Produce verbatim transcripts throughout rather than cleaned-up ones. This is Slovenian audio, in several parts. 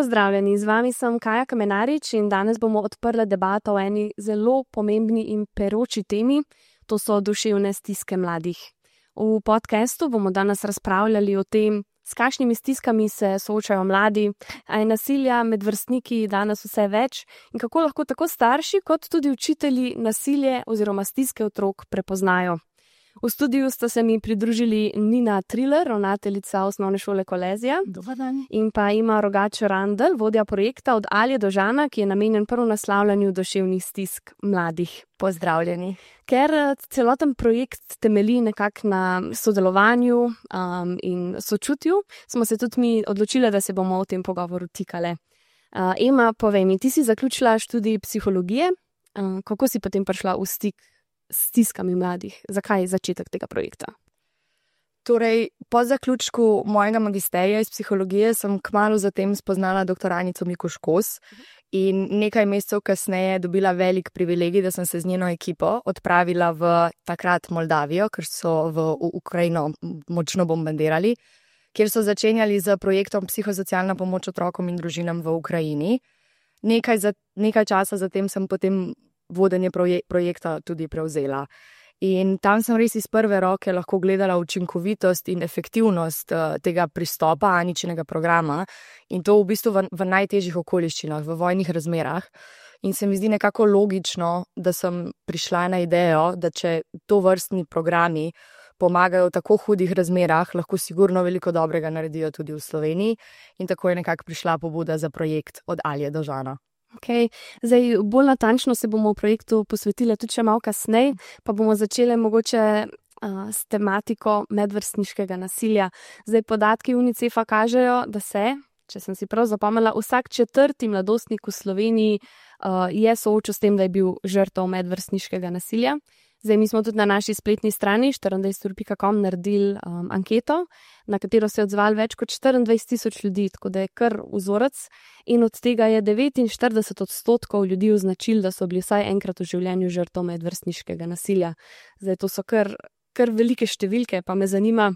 pozdravljeni, z vami sem Kaja Kamenarič in danes bomo odprli debato o eni zelo pomembni in peroči temi, to so duševne stiske mladih. V podcastu bomo danes razpravljali o tem, s kakšnimi stiskami se soočajo mladi, a je nasilja med vrstniki danes vse več in kako lahko tako starši kot tudi učitelji nasilje oziroma stiske otrok prepoznajo. V studiu sta se mi pridružili Nina Triler, ravnateljica Osnovne šole Kolezija, in pa Ima Rogač-Randl, vodja projekta Od Alje do Žana, ki je namenjen prvo naslavljanju duševnih stisk mladih. Pozdravljeni. Ker celoten projekt temelji nekako na sodelovanju um, in sočutju, smo se tudi mi odločili, da se bomo v tem pogovoru tikale. Uh, Ema, povej mi, ti si zaključila študij psihologije, uh, kako si potem prišla v stik stiskami mladih? Zakaj je začetek tega projekta? Torej, po zaključku mojega magisterija iz psihologije sem kmalu zatem spoznala doktor Anico Mikuš Kos in nekaj mesecev kasneje dobila velik privilegij, da sem se z njeno ekipo odpravila v takrat Moldavijo, ker so v Ukrajino močno bombardirali, kjer so začenjali z projektom Psihosocialna pomoč otrokom in družinam v Ukrajini. Nekaj, za, nekaj časa zatem sem potem vodenje proje- projekta tudi prevzela. In tam sem res iz prve roke lahko gledala učinkovitost in efektivnost uh, tega pristopa Aničinega programa in to v bistvu v, v najtežjih okoliščinah, v vojnih razmerah. In se mi zdi nekako logično, da sem prišla na idejo, da če to vrstni programi pomagajo v tako hudih razmerah, lahko sigurno veliko dobrega naredijo tudi v Sloveniji. In tako je nekako prišla pobuda za projekt Od Alje do Žana. Okay. Zdaj, bolj natančno se bomo v projektu posvetili tudi še malo kasneje, pa bomo začeli mogoče uh, s tematiko medvrstniškega nasilja. Zdaj, podatki UNICEF-a kažejo, da se, če sem si prav zapomnila, vsak četrti mladostnik v Sloveniji uh, je soočil s tem, da je bil žrtev medvrstniškega nasilja. Zdaj, mi smo tudi na naši spletni strani štiriindvajset ur pika com naredili um, anketo, na katero se je odzvalo več kot štiriindvajset tisoč ljudi, tako da je kar vzorec. In od tega je devetinštirideset odstotkov ljudi označili, da so bili vsaj enkrat v življenju žrtev medvrstniškega nasilja. Zdaj, to so kar, kar velike številke, pa me zanima,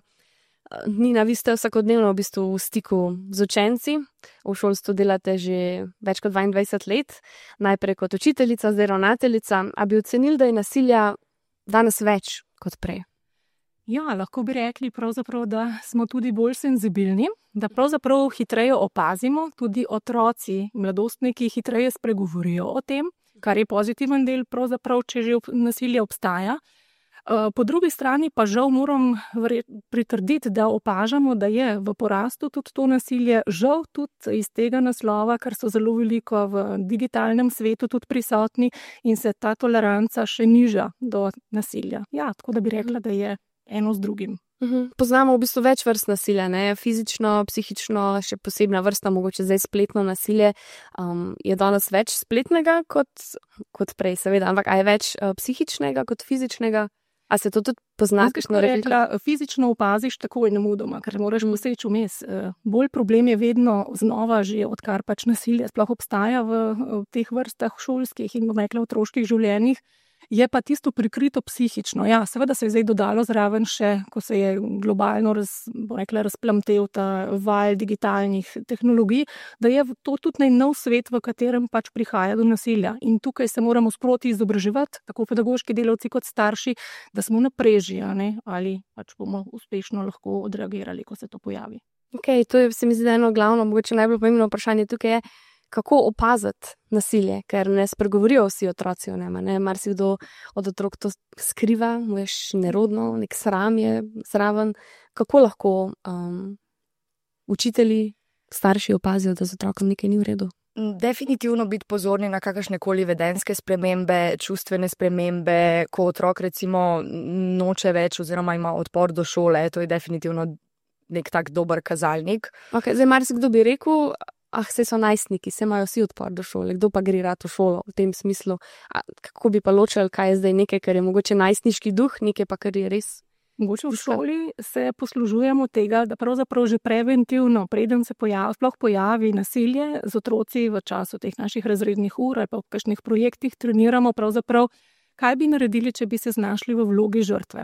Nina, vi ste vsakodnevno v bistvu v stiku z učenci, v šolstvu delate že več kot dvaindvajset let, najprej kot učiteljica, zdaj ravnateljica, a bi ocenili, da je nasilja danes več kot prej? Ja, lahko bi rekli pravzaprav, da smo tudi bolj senzibilni, da pravzaprav hitreje opazimo, tudi otroci, mladostniki hitreje spregovorijo o tem, kar je pozitiven del, pravzaprav, če že nasilje obstaja. Po drugi strani pa žal moram pritrditi, da opažamo, da je v porastu tudi to nasilje, žal tudi iz tega naslova, ker so zelo veliko v digitalnem svetu tudi prisotni in se ta toleranca še niža do nasilja. Ja, tako da bi rekla, da je eno z drugim. Uhum. Poznamo v bistvu več vrst nasilja, ne? Fizično, psihično, še posebna vrsta, mogoče zdaj spletno nasilje. Um, je danes več spletnega kot, kot prej, seveda, ampak a je več uh, psihičnega kot fizičnega? A se to tudi pozna? Rekla, fizično opaziš takoj nemudoma, ker moraš poseči vmes. Bolj problem je vedno znova že, odkar pač nasilje sploh obstaja v, v teh vrstah šolskih in bom rekla otroških življenjih, je pa tisto prikrito psihično. Ja, seveda se je zdaj dodalo zraven še, ko se je globalno raz, bom rekla, razplamtel ta val digitalnih tehnologij, da je to tudi nov svet, v katerem pač prihaja do nasilja. In tukaj se moramo sproti izobraževati, tako pedagoški delavci kot starši, da smo na preži, ne, ali pač bomo uspešno lahko odreagirali, ko se to pojavi. Ok, to je, se mi zdi, eno glavno, mogoče najbolj pomembno vprašanje tukaj je, kako opaziti nasilje, ker ne spregovorijo vsi otroci o njema, ne, marsikdo od otrok to skriva, veš, nerodno, nek sram je zraven. Kako lahko um, učitelji, starši opazijo, da z otrokom nekaj ni v redu? Definitivno biti pozorni na kakršnekoli vedenjske spremembe, čustvene spremembe, ko otrok recimo noče več oziroma ima odpor do šole, to je definitivno nek tak dober kazalnik. Ok, zdaj marsikdo bi rekel, ah, se so najstniki, se imajo vsi odpor do šole, kdo pa gre rad v šolo v tem smislu. A, kako bi pa ločili, kaj je zdaj nekaj, kar je mogoče najstniški duh, nekaj pa, kar je res? Mogoče v šoli se poslužujemo tega, da pravzaprav že preventivno, preden se pojavi, sploh pojavi nasilje z otroci v času teh naših razrednih ur ali pa v kakšnih projektih treniramo pravzaprav, kaj bi naredili, če bi se znašli v vlogi žrtve.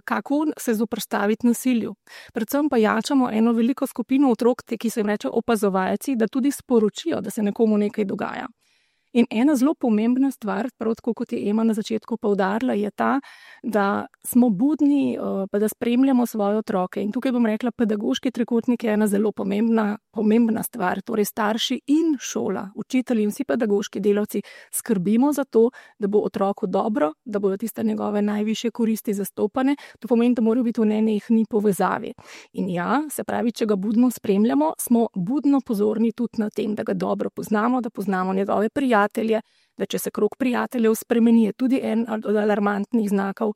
kako se zoperstaviti nasilju. Predvsem pa jačamo eno veliko skupino otrok, ki se jim reče opazovalci, da tudi sporočijo, da se nekomu nekaj dogaja. In ena zelo pomembna stvar, prav tako kot je Ema na začetku poudarila, je ta, da smo budni, pa da spremljamo svoje otroke. In tukaj bom rekla, pedagoški trikotnik je ena zelo pomembna, pomembna stvar. Torej starši in šola, učitelji in vsi pedagoški delavci skrbimo za to, da bo otroku dobro, da bodo tiste njegove najvišje koristi zastopane. To pomeni, da morajo biti v nenehni povezavi. In ja, se pravi, če ga budno spremljamo, smo budno pozorni tudi na tem, da ga dobro poznamo, da poznamo njegove prijatelje, da če se krog prijateljev spremeni, je tudi en od alarmantnih znakov.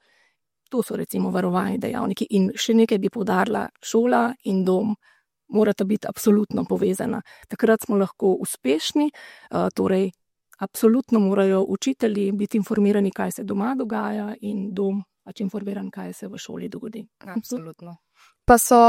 To so recimo varovalni dejavniki. In še nekaj bi poudarila, šola in dom morata biti absolutno povezana. Takrat smo lahko uspešni, torej absolutno morajo učitelji biti informirani, kaj se doma dogaja, in dom pač informiran, kaj se v šoli dogodi. Absolutno. Pa so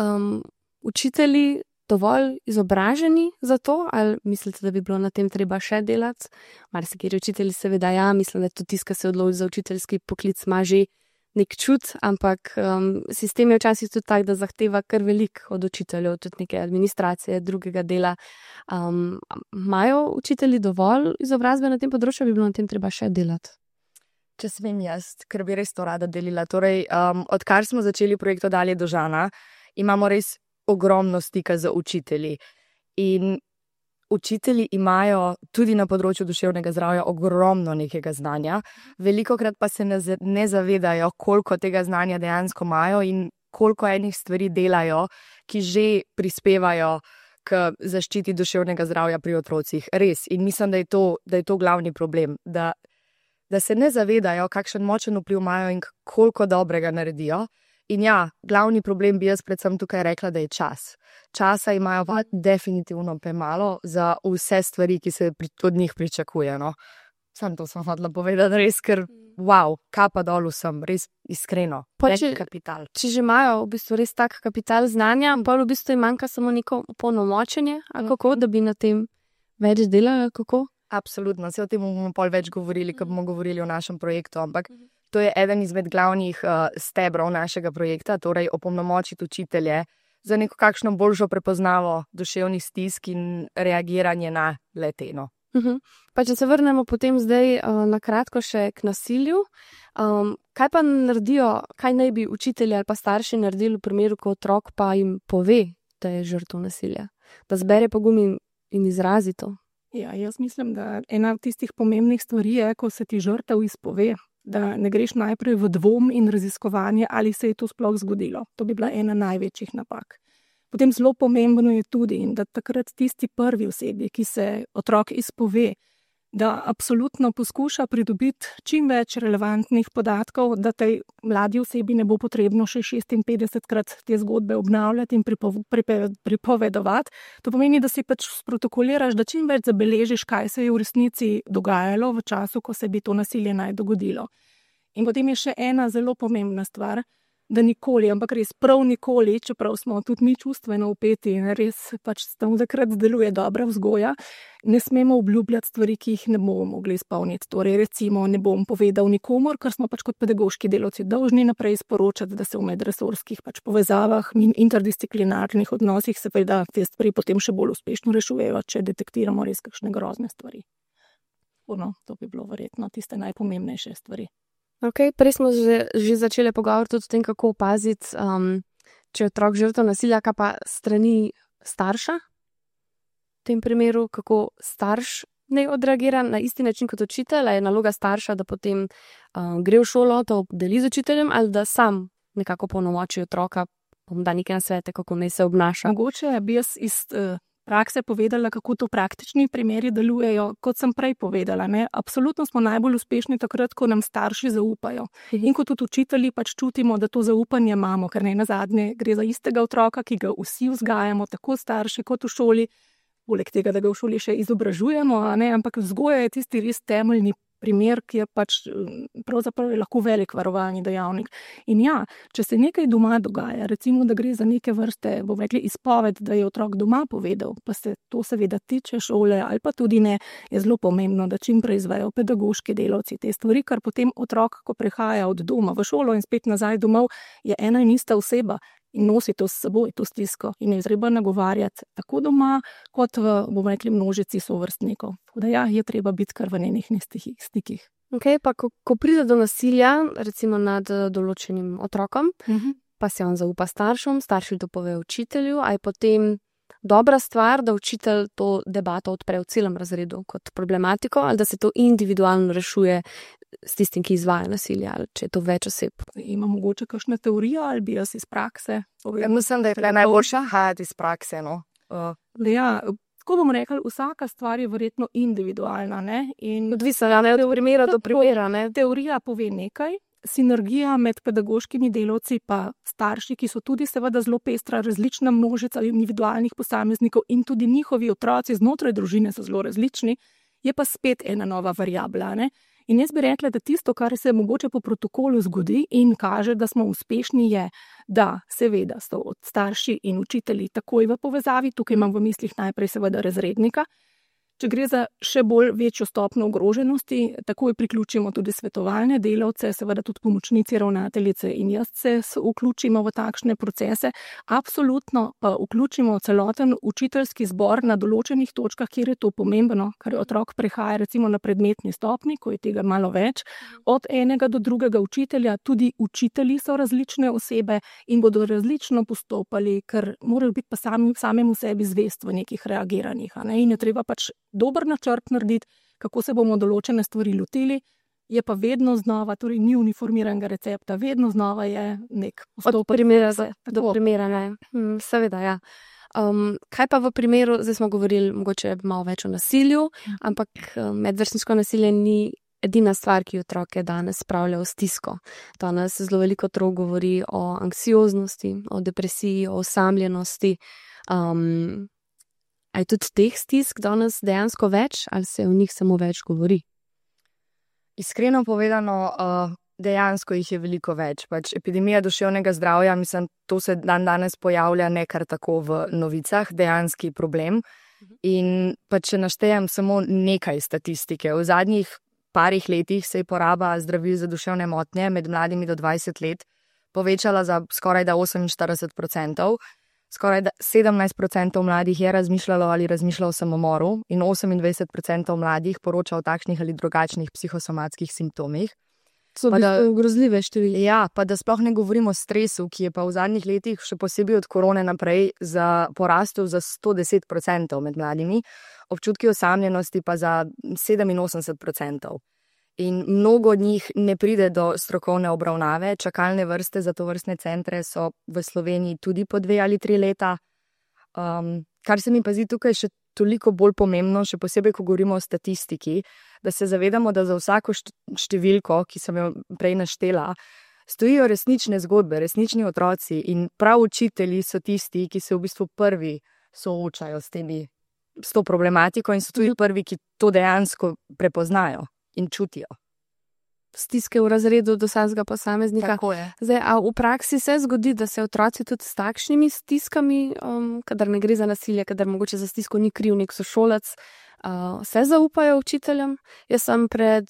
um, učitelji dovolj izobraženi za to, ali mislite, da bi bilo na tem treba še delati? Marsikateri učitelji seveda ja, mislim, da tudi tiska se odloči za učiteljski poklic, ima že nek čut, ampak um, sistem je včasih tudi tak, da zahteva kar veliko od učiteljev, tudi neke administracije, drugega dela. Um, imajo učitelji dovolj izobrazbe na tem področju, bi bilo na tem treba še delati? Če smem jaz, ker bi res to rada delila. Torej, um, odkar smo začeli projekt Od Alje do Žana, imamo res ogromno stika z učitelji. In učitelji imajo tudi na področju duševnega zdravja ogromno nekega znanja, velikokrat pa se ne, ne zavedajo, koliko tega znanja dejansko imajo in koliko enih stvari delajo, ki že prispevajo k zaščiti duševnega zdravja pri otrocih. Res. In mislim, da je to, da je to glavni problem, da, da se ne zavedajo, kakšen močen vpliv imajo in koliko dobrega naredijo. In ja, glavni problem bi jaz predvsem tukaj rekla, da je čas. Časa imajo pa definitivno premalo za vse stvari, ki se od njih pričakuje. No? Sam to sem hodila povedati, res, ker wow, kapa dol vsem, res iskreno. Če, kapital. Če že imajo v bistvu res tak kapital znanja, pa v bistvu jim manjka samo neko opolnomočenje, ali kako, da bi na tem več delali, kako? Absolutno, se o tem bomo pol več govorili, ko bomo govorili o našem projektu, ampak to je eden izmed glavnih uh, stebrov našega projekta, torej opolnomočiti učitelje za neko kakšno boljšo prepoznavo duševnih stisk in reagiranje na leteno. Uh-huh. Pa če se vrnemo potem zdaj uh, na kratko še k nasilju, um, kaj pa naredijo, kaj naj bi učitelji ali pa starši naredili v primeru, ko otrok pa jim pove, da je žrtev nasilja, da zbere pogum in, in izrazi to? Ja, jaz mislim, da ena od tistih pomembnih stvari je, ko se ti žrtev izpove, da ne greš najprej v dvom in raziskovanje, ali se je to sploh zgodilo. To bi bila ena največjih napak. Potem zelo pomembno je tudi, da takrat tisti prvi osebi, ki se otrok izpove, da absolutno poskuša pridobiti čim več relevantnih podatkov, da tej mladi osebi ne bo potrebno še šestinpetdesetkrat te zgodbe obnavljati in pripo- pripe- pripovedovati. To pomeni, da si pač sprotokoliraš, da čim več zabeležiš, kaj se je v resnici dogajalo v času, ko se bi to nasilje naj dogodilo. In potem je še ena zelo pomembna stvar, da nikoli, ampak res prav nikoli, čeprav smo tudi mi čustveno vpeti in res pač tam takrat deluje dobra vzgoja, ne smemo obljubljati stvari, ki jih ne bomo mogli izpolniti. Torej recimo ne bom povedal nikomor, ker smo pač kot pedagoški delavci dolžni naprej sporočati, da se v medresorskih pač povezavah in interdisciplinarnih odnosih seveda te stvari potem še bolj uspešno rešujejo, če detektiramo res kakšne grozne stvari. No, to bi bilo verjetno tiste najpomembnejše stvari. Okay, prej smo že, že začeli pogovor tudi o tem, kako opaziti, um, če je otrok žrtev nasilja, kaj pa strani starša. V tem primeru, kako starš ne odreagira na isti način kot učitelj, je naloga starša, da potem um, gre v šolo, to deli z učiteljem, ali da sam nekako polnomoči otroka, da nekaj nasvete, kako naj se obnaša. Mogoče bi jaz iz uh, prakse povedala, kako to praktični primeri delujejo, kot sem prej povedala. Ne? Absolutno smo najbolj uspešni takrat, ko nam starši zaupajo. In ko tudi učitelji pač čutimo, da to zaupanje imamo, ker ne nazadnje gre za istega otroka, ki ga vsi vzgajamo, tako starši kot v šoli, poleg tega, da ga v šoli še izobražujemo, a ne? Ampak vzgoja je tisti res temeljni primer, ki je pač pravzaprav je lahko velik varovalni dejavnik. In ja, če se nekaj doma dogaja, recimo, da gre za neke vrste, bom rekli, izpoved, da je otrok doma povedal, pa se to seveda tiče šole ali pa tudi ne, je zelo pomembno, da čim prej izvejo pedagoški delavci te stvari, kar potem otrok, ko prehaja od doma v šolo in spet nazaj domov, je ena in ista oseba in nosi to s seboj, to stisko in je treba nagovarjati tako doma, kot v, bomo rekli, množici sovrstnikov. Tako da ja, je treba biti kar v nenehnih stikih. Ok, pa ko, ko pride do nasilja, recimo nad določenim otrokom, uh-huh. pa se on zaupa staršem, starši to pove učitelju, a je potem dobra stvar, da učitelj to debato odpre v celem razredu kot problematiko, ali da se to individualno rešuje s tistim, ki izvaja nasilje, ali če je to več oseb. Ima mogoče kakšna teorija ali bi jaz iz prakse? Ja, mislim, da je najboljša hajati iz prakse. No? Uh. Ja, tako bomo rekli, vsaka stvar je verjetno individualna. Odvisno, ja, ne od primera do primera. Ne? Teorija pove nekaj, sinergija med pedagoškimi delavci pa starši, ki so tudi seveda zelo pestra, različna množica individualnih posameznikov in tudi njihovi otroci znotraj družine so zelo različni, je pa spet ena nova variabla. Ne? In jaz bi rekla, da tisto, kar se mogoče po protokolu zgodi in kaže, da smo uspešni, je, da seveda so od starši in učitelji takoj v povezavi, tukaj imam v mislih najprej seveda razrednika. Če gre za še bolj večjo stopnjo ogroženosti, takoj priključimo tudi svetovalne delavce, seveda tudi pomočnici ravnateljice in jaz se vključimo v takšne procese. Absolutno pa vključimo celoten učiteljski zbor na določenih točkah, kjer je to pomembno, ker otrok prehaja recimo na predmetni stopnji, ko je tega malo več, od enega do drugega učitelja, tudi učitelji so različne osebe in bodo različno postopali, ker morajo biti pa sami, samemu sebi zvest v nekih reagiranjih, a ne? In je treba pač dober načrt narediti, kako se bomo določene stvari lotili, je pa vedno znova, torej ni uniformiranega recepta, vedno znova je nek postopek. Od primera do primera, ne. Hm, seveda, ja. Um, kaj pa v primeru, zdaj smo govorili mogoče malo več o nasilju, ampak medvrstniško nasilje ni edina stvar, ki otroke danes spravlja v stisko. Danes zelo veliko otrok govori o anksioznosti, o depresiji, o osamljenosti. Um, A je tudi teh stisk danes dejansko več, ali se o njih samo več govori? Iskreno povedano, dejansko jih je veliko več. Pač epidemija duševnega zdravja, mislim, to se dan danes pojavlja ne kar tako v novicah, dejanski problem. In pa če naštejem samo nekaj statistike. V zadnjih parih letih se je poraba zdravil za duševne motnje med mladimi do dvajset let povečala za skoraj da oseminštirideset procentov. Skoraj sedemnajst procentov mladih je razmišljalo ali razmišljalo o samomoru in osemindvajset procentov mladih poroča o takšnih ali drugačnih psihosomatskih simptomih. So pa da grozljive številke. Ja, pa da sploh ne govorimo o stresu, ki je pa v zadnjih letih, še posebej od korone naprej, za porastel za sto deset procentov med mladimi, občutki osamljenosti pa za sedeminosemdeset procentov. In mnogo od njih ne pride do strokovne obravnave. Čakalne vrste za tovrstne centre so v Sloveniji tudi po dve ali tri leta. Um, kar se mi pa zdi tukaj še toliko bolj pomembno, še posebej, ko govorimo o statistiki, da se zavedamo, da za vsako številko, ki sem jo prej naštela, stojijo resnične zgodbe, resnični otroci in prav učitelji so tisti, ki se v bistvu prvi soočajo s temi, s to problematiko in so tudi prvi, ki to dejansko prepoznajo in čutijo. Stiske v razredu do vsakega posameznika. Tako je. Zdaj, a v praksi se zgodi, da se otroci tudi s takšnimi stiskami, um, kadar ne gre za nasilje, kadar mogoče za stisko ni kriv nek sošolec, uh, se zaupajo učiteljem. Jaz sem pred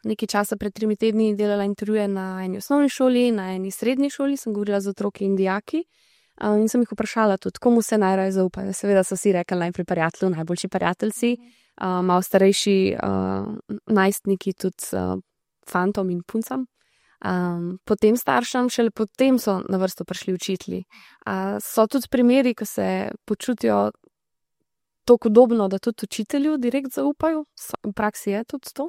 nekaj časa, pred trimi tedni delala intervjuje na eni osnovni šoli, na eni srednji šoli, sem govorila z otroki in dijaki uh, in sem jih vprašala tudi, komu se najraje zaupajo. Seveda so si rekli najprej prijatelju, najboljši prijateljci, uh, malo starejši uh, najstniki tudi uh, fantom in puncam, um, potem staršem, šele potem so na vrsto prišli učitelji. Uh, so tudi primeri, ko se počutijo tako podobno, da tudi učitelju direkt zaupajo? V praksi je tudi to?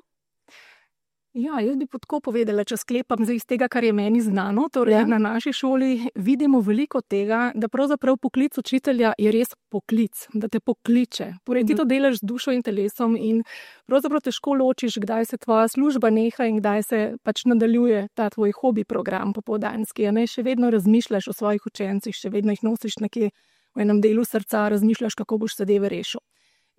Ja, jaz bi tako povedala, če sklepam iz tega, kar je meni znano. Torej, ja. Na naši šoli vidimo veliko tega, da pravzaprav poklic učitelja je res poklic, da te pokliče. Torej, ti to delaš z dušo in telesom in pravzaprav težko ločiš, kdaj se tvoja služba neha in kdaj se pač nadaljuje ta tvoj hobi program popoldanski. Ne? Še vedno razmišljaš o svojih učencih, še vedno jih nosiš nekje v enem delu srca, razmišljaš, kako boš zadeve rešil.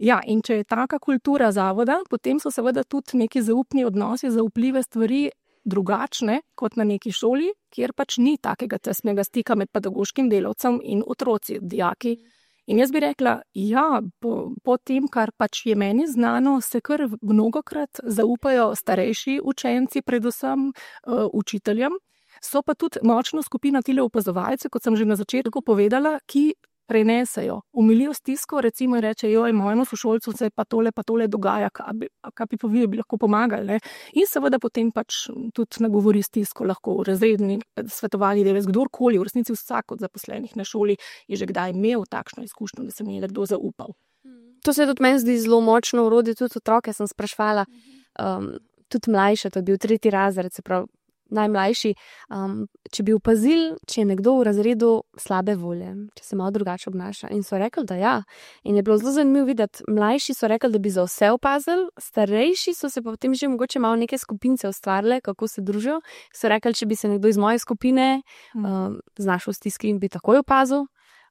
Ja, in če je taka kultura zavoda, potem so seveda tudi neki zaupni odnosi, zaupljive stvari drugačne kot na neki šoli, kjer pač ni takega tesnega stika med pedagoškim delavcem in otroci, dijaki. In jaz bi rekla, ja, po, po tem, kar pač je meni znano, se kar mnogokrat zaupajo starejši učenci, predvsem uh, učiteljem. So pa tudi močna skupina tile opazovalcev, kot sem že na začetku povedala, ki prenesejo, umilijo stisko, recimo in reče, joj, mojemu sošolcu se pa tole pa tole dogaja, kaj bi, kaj bi pa vi bi lahko pomagali. Ne? In seveda potem pač tudi nagovori stisko, lahko razredni, svetovalni delavec, kdorkoli, v resnici vsak od zaposlenih na šoli je že kdaj imel takšno izkušnjo, da se mi je nekdo zaupal. To se tudi meni zdi zelo močno urodje, tudi otroke sem sprašvala, um, tudi mlajše, to je bil tretji razred, se pravi, najmlajši, um, če bi opazil, če je nekdo v razredu slabe volje, če se malo drugače obnaša. In so rekli, da ja. In je bilo zelo zanimivo videti, mlajši so rekli, da bi za vse opazili, starejši so se pa potem že mogoče malo neke skupince ustvarile, kako se družijo. So rekli, če bi se nekdo iz moje skupine um, znašel v stiski in bi takoj opazil,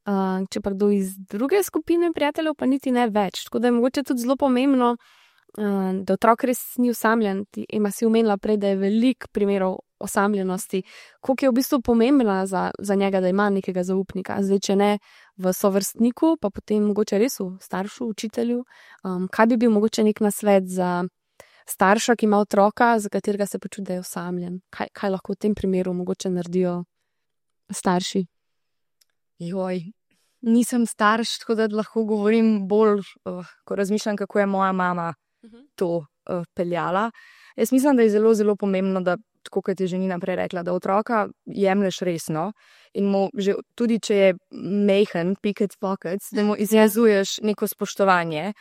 uh, če pa kdo iz druge skupine prijateljev, pa niti ne več. Tako da je mogoče tudi zelo pomembno, uh, da otrok res ni osamljen. Ema si omenila prej, da je veliko primerov osamljenosti, koliko je v bistvu pomembna za, za njega, da ima nekega zaupnika. Zdaj, če ne v sovrstniku, pa potem mogoče res v staršu, učitelju. Um, kaj bi bil mogoče nek nasvet za starša, ki ima otroka, za katerega se počuti, da je osamljen? Kaj, kaj lahko v tem primeru mogoče naredijo starši? Joj, nisem starš, tako da lahko govorim bolj, uh, ko razmišljam, kako je moja mama to uh, peljala. Jaz mislim, da je zelo, zelo pomembno, da tako kot je že Nina prej rekla, da otroka jemlješ resno in mu že tudi, če je majhen, pickets pockets, da mu izjazuješ neko spoštovanje,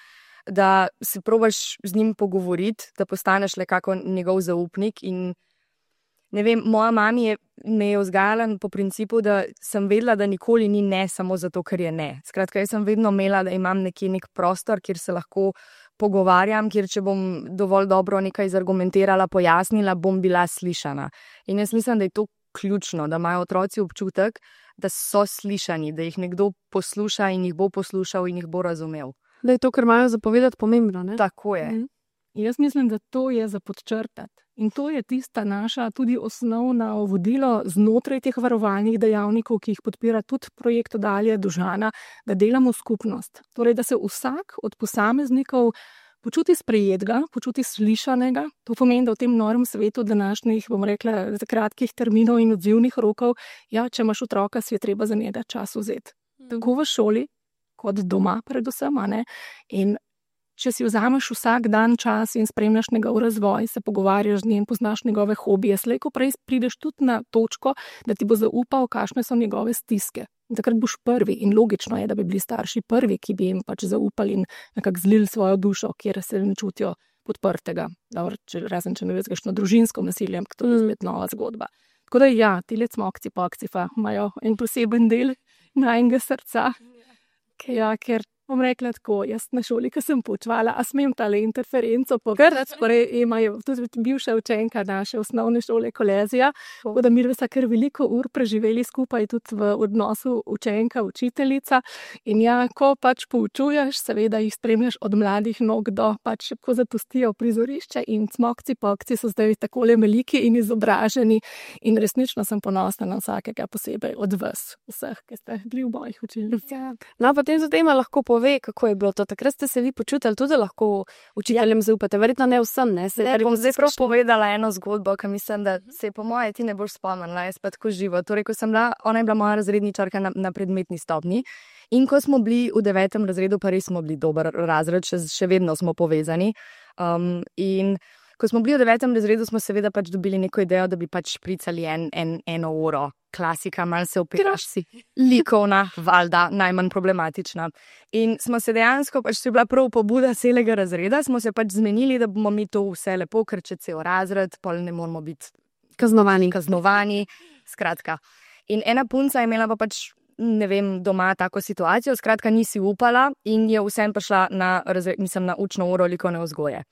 da se probaš z njim pogovoriti, da postaneš le kako njegov zaupnik. In ne vem, moja mami je, me je vzgajala po principu, da sem vedela, da nikoli ni ne samo zato, ker je ne. Skratka, jaz sem vedno imela, da imam nekje nek prostor, kjer se lahko pogovarjam, kjer če bom dovolj dobro nekaj zargumentirala, pojasnila, bom bila slišana. In jaz mislim, da je to ključno, da imajo otroci občutek, da so slišani, da jih nekdo posluša in jih bo poslušal in jih bo razumel. Da je to, kar imajo zapovedati, pomembno, ne? Tako je. Mm. Jaz mislim, da to je za podčrtati. In to je tista naša tudi osnovna vodilo znotraj teh varovalnih dejavnikov, ki jih podpira tudi projekt Dalje do Žana, da delamo skupnost. Torej, da se vsak od posameznikov počuti sprejetega, počuti slišanega. To pomeni, da v tem norem svetu današnjih, bom rekla, kratkih terminov in odzivnih rokov, ja, če imaš otroka, si je treba za njega čas vzeti. Tako v šoli, kot doma predvsem, a ne? In če si vzameš vsak dan čas in spremljaš njegov razvoj, se pogovarjaš z njim, poznaš njegove hobije, slej ko prej prideš tudi na točko, da ti bo zaupal, kakšne so njegove stiske. In takrat boš prvi in logično je, da bi bili starši prvi, ki bi jim pač zaupali in nekako zlili svojo dušo, kjer se ne čutijo podprtega. Dobro, če, razen če ne veš kakšno družinsko nasilje, ampak to je spet nova zgodba. Tako da ja, tile cmokci pokci pa imajo en poseben del najnega srca. Ja, ker bom rekla tako, jaz na šoli, ko sem poučevala, a smem tale interferenco pograti, torej Ema je tudi bivša učenka naše osnovne šole Kolezija, tako da mi sva kar veliko ur preživeli skupaj tudi v odnosu učenka-učiteljica. In ja, ko pač poučuješ, seveda jih spremljaš od mladih nog do pač, ko zapustijo prizorišče in cmokci pokci so zdaj takole veliki in izobraženi in resnično sem ponosna na vsakega posebej od vas, vseh, ki ste bili v mojih učilnicah. No, potem za tema lahko pove, kako je bilo to. Takrat ste se vi počutili tudi lahko učiteljem zaupate. Verjetno ne vsem, ne? Se, ne bom zdaj prav povedala eno zgodbo, ki mislim, da se je po moje ti ne boš spomnila, jaz pa tako živo. Torej, ko sem bila, ona je bila moja razredničarka na, na predmetni stopnji in ko smo bili v devetem razredu, pa res smo bili dober razred, še, še vedno smo povezani. Um, in ko smo bili v devetem razredu, smo seveda pač dobili neko idejo, da bi pač špricali en, en, eno uro. Klasika, malo se opiraš si. Likovna, valjda, najmanj problematična. In smo se dejansko, pač to je bila prav pobuda celega razreda, smo se pač zmenili, da bomo mi to vse lepo, ker če cel razred, pol ne moramo biti kaznovani. kaznovani. Skratka. In ena punca je imela pa pač, ne vem, doma tako situacijo, skratka nisi upala in je vsem prišla na, razred, mislim, na učno uro likovne vzgoje.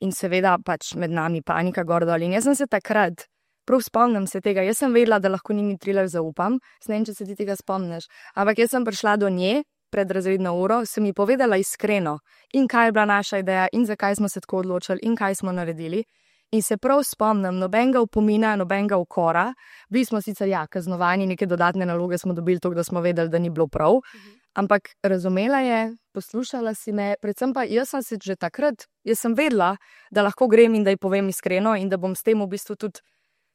In seveda pač med nami panika gor dol. In jaz sem se takrat, prav spomnim se tega, jaz sem vedela, da lahko Nini Triler zaupam, ne vem, če se ti tega spomniš, ampak jaz sem prišla do nje pred razredno uro, sem ji povedala iskreno, in kaj je bila naša ideja, in zakaj smo se tako odločili, in kaj smo naredili. In se prav spomnim, nobenega upomina, nobenega ukora. Bili smo sicer ja, kaznovani, neke dodatne naloge smo dobili, to, da smo vedeli, da ni bilo prav. Ampak razumela je, poslušala si me, predvsem pa jaz sem se že takrat, jaz sem vedela, da lahko grem in da ji povem iskreno in da bom s tem v bistvu tudi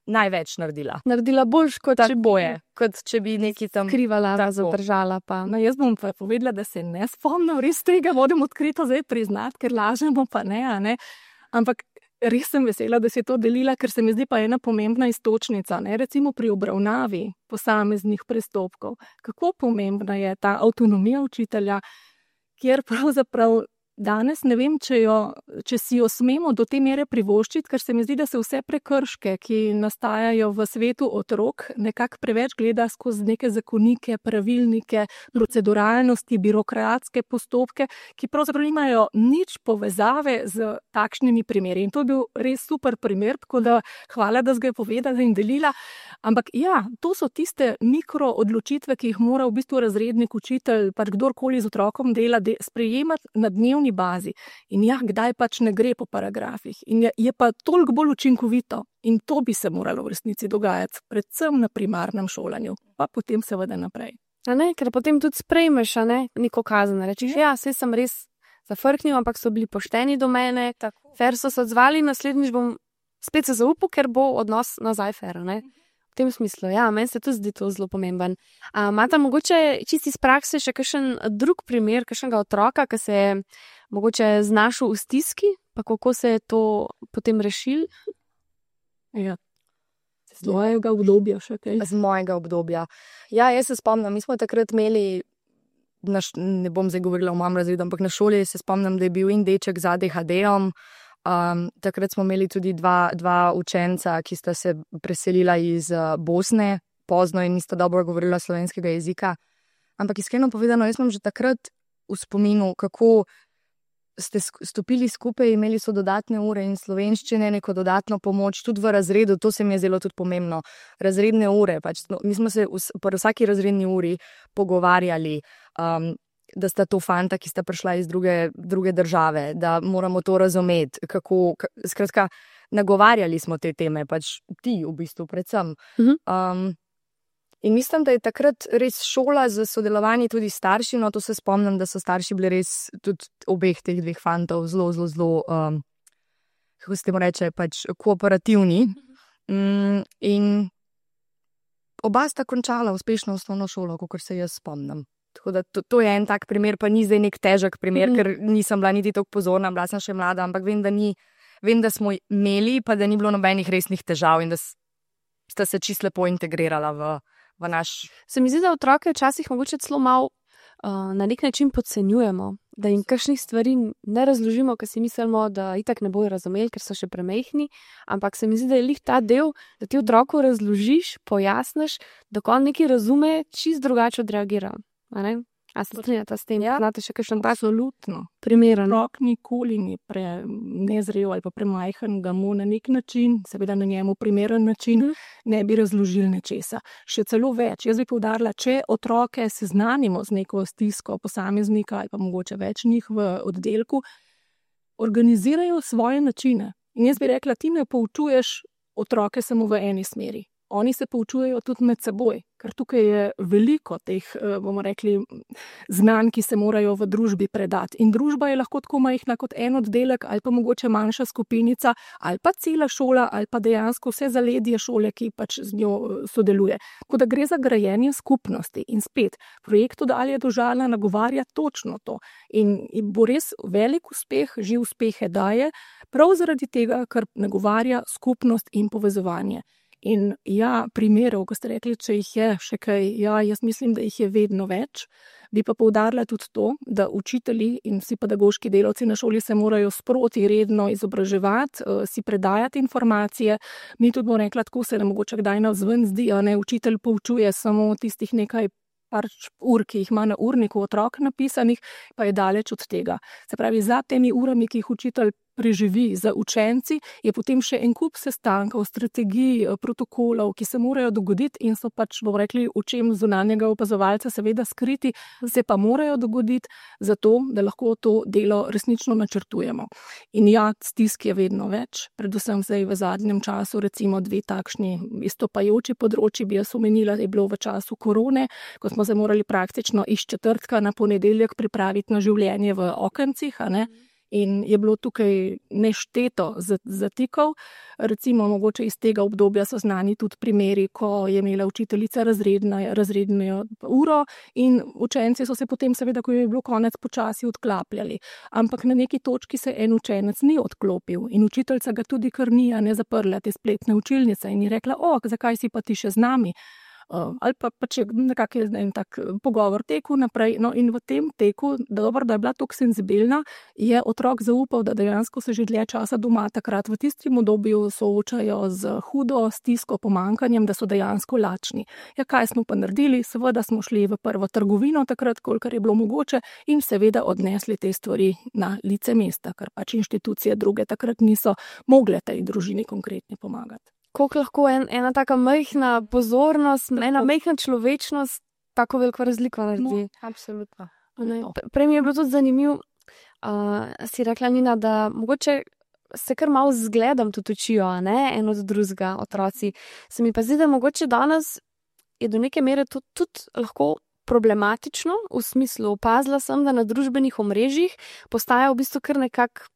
največ naredila. Naredila boljš, kot tako če boje. Kot če bi neki tam skrivala, zadržala pa. No, jaz bom pa povedala, da se ne spomnim res tega, moram odkrito zdaj priznati, ker lažemo pa ne, a ne. Ampak res sem vesela, da si to delila, ker se mi zdi pa ena pomembna iztočnica, ne, recimo pri obravnavi posameznih prestopkov. Kako pomembna je ta avtonomija učitelja, kjer pravzaprav danes ne vem, če, jo, če si jo smemo do te mere privoščiti, ker se mi zdi, da se vse prekrške, ki nastajajo v svetu otrok, nekako preveč gleda skozi neke zakonike, pravilnike, proceduralnosti, birokratske postopke, ki pravzaprav nimajo nič povezave z takšnimi primeri. In to je bil res super primer, tako da hvala, da si ga je povedala in delila. Ampak ja, to so tiste mikro odločitve, ki jih mora v bistvu razrednik, učitelj, pač kdorkoli z otrokom dela, de, sprejemati na dnevni bazi. In ja, kdaj pač ne gre po paragrafih. In je, je pa toliko bolj učinkovito. In to bi se moralo v resnici dogajati, predvsem na primarnem šolanju, pa potem seveda naprej. A ne, ker potem tudi sprejmeš, a ne, neko kazen. Rečeš, ja, saj sem res zafrknil, ampak so bili pošteni do mene, tako. Fer so se odzvali, naslednjič bom spet se zaupal, ker bo odnos nazaj fer, ne. V tem smislu, ja, meni se tudi zdi to zelo pomemben. A imate mogoče čisti iz prakse še kakšen drug primer, kakšnega otroka, ki se je mogoče znašel v stiski, pa kako se je to potem rešil? Ja, z mojega obdobja še kaj. Z mojega obdobja. Ja, jaz se spomnim, mi smo takrat imeli, naš, ne bom zdaj govorila o mojem razredu, ampak na šoli se spomnim, da je bil in deček z A D H D-om. Um, takrat smo imeli tudi dva, dva učenca, ki sta se preselila iz uh, Bosne, pozno in nista dobro govorila slovenskega jezika. Ampak iskreno povedano, jaz sem že takrat v spominu, kako ste stopili skupaj, imeli so dodatne ure in slovenščine, neko dodatno pomoč, tudi v razredu, to se mi je zelo tudi pomembno. Razredne ure, pač, no, mi smo se v, v vsaki razredni uri pogovarjali, um, da sta to fanta, ki sta prišla iz druge, druge države, da moramo to razumeti, kako, skratka, nagovarjali smo te teme, pač ti v bistvu predvsem. Um, in mislim, da je takrat res šola za sodelovanje tudi starši, no to se spomnim, da so starši bili res tudi obeh teh dveh fantov zelo, zelo, zelo, um, kako se temu reče, pač kooperativni. Um, in oba sta končala uspešno osnovno šolo, kakor se jaz spomnim. Tako da to, to je en tak primer, pa ni zdaj nek težek primer, mm. ker nisem bila niti tako pozorna, bila sem še mlada, ampak vem, da, ni, vem, da smo imeli, pa da ni bilo nobenih resnih težav in da sta se čisto lepo integrirala v, v naš... Se mi zdi, da otroke včasih mogoče celo malo uh, na nek način podcenjujemo, da jim kakšnih stvari ne razložimo, ker si mislimo, da itak ne bojo razumeli, ker so še premehni, ampak se mi zdi, da je lih ta del, da ti otroku razložiš, pojasniš, da ko on nekaj razume, čist drugače odreagira. A ne? A se strinjate s tem? Ja, znate še kakšen absolutno. Primeren? Otrok nikoli ni pre, nezrel ali pa premajhen, ga mu na nek način, seveda na njemu primeren način, mm. ne bi razložili nečesa. Še celo več. Jaz bi poudarila, če otroke seznanimo z neko stisko posameznika ali pa mogoče več njih v oddelku, organizirajo svoje načine. In jaz bi rekla, ti ne poučuješ otroke samo v eni smeri. Oni se poučujejo tudi med seboj, ker tukaj je veliko teh, bomo rekli, znanj, ki se morajo v družbi predati. In družba je lahko tako majhna kot en oddelek ali pa mogoče manjša skupinica ali pa cela šola ali pa dejansko vse zaledje šole, ki pač z njo sodeluje. Tako da gre za grajenje skupnosti in spet, projekt Dalje do žala nagovarja točno to. In bo res velik uspeh, že uspehe daje, prav zaradi tega, ker nagovarja skupnost in povezovanje. In ja, primerov, ko ste rekli, če jih je še kaj, ja, jaz mislim, da jih je vedno več. Bi pa poudarila tudi to, da učitelji in vsi pedagoški delavci na šoli se morajo sproti redno izobraževati, si predajati informacije. Mi tudi bomo rekla, tako se ne mogoče kdaj navzven zdi, a ne, učitelj poučuje samo tistih nekaj par ur, ki jih ima na urniku otrok napisanih, pa je daleč od tega. Se pravi, za temi urami, ki jih učitelj preživi. Za učenci je potem še en kup sestankov, strategij, protokolov, ki se morajo dogoditi in so pač, bomo rekli, očem zunanjega opazovalca seveda skriti, se pa morajo dogoditi zato, da lahko to delo resnično načrtujemo. In ja, stisk je vedno več, predvsem zdaj v zadnjem času, recimo dve takšni izstopajoči področji bi jaz omenila, je bilo v času korone, ko smo se morali praktično iz četrtka na ponedeljek pripraviti na življenje v okencih, a ne? In je bilo tukaj nešteto zatikov. Recimo, mogoče iz tega obdobja so znani tudi primeri, ko je imela učiteljica razredna, razredno uro in učenci so se potem, seveda, ko je bilo konec, počasi odklapljali. Ampak na neki točki se en učenec ni odklopil in učiteljica ga tudi kar ni, a ne zaprla te spletne učilnice in je rekla, o, zakaj si pa ti še z nami? Uh, ali pa pač je nekako en tak pogovor tekel naprej. No in v tem teku, da dobro, da je bila tako senzibilna, je otrok zaupal, da dejansko se že dlje časa doma takrat v tistem obdobju soočajo z hudo stisko, pomanjkanjem, da so dejansko lačni. Ja, kaj smo pa naredili? Seveda smo šli v prvo trgovino takrat, kolikor je bilo mogoče in seveda odnesli te stvari na lice mesta, ker pač inštitucije druge takrat niso mogle tej družini konkretno pomagati. Koliko lahko en, ena taka majhna pozornost, tako. Ena majhna človečnost tako veliko razliko naredi. No, absolutno. No. Prej mi je bilo tudi zanimivo, uh, si rekla, Nina, da mogoče se kar malo zgledam tudi učijo, ne, en od drugega otroci. Se mi pa zdi, da mogoče danes je do neke mere tudi, tudi lahko problematično, v smislu opazila sem, da na družbenih omrežjih postaja v bistvu kar nekak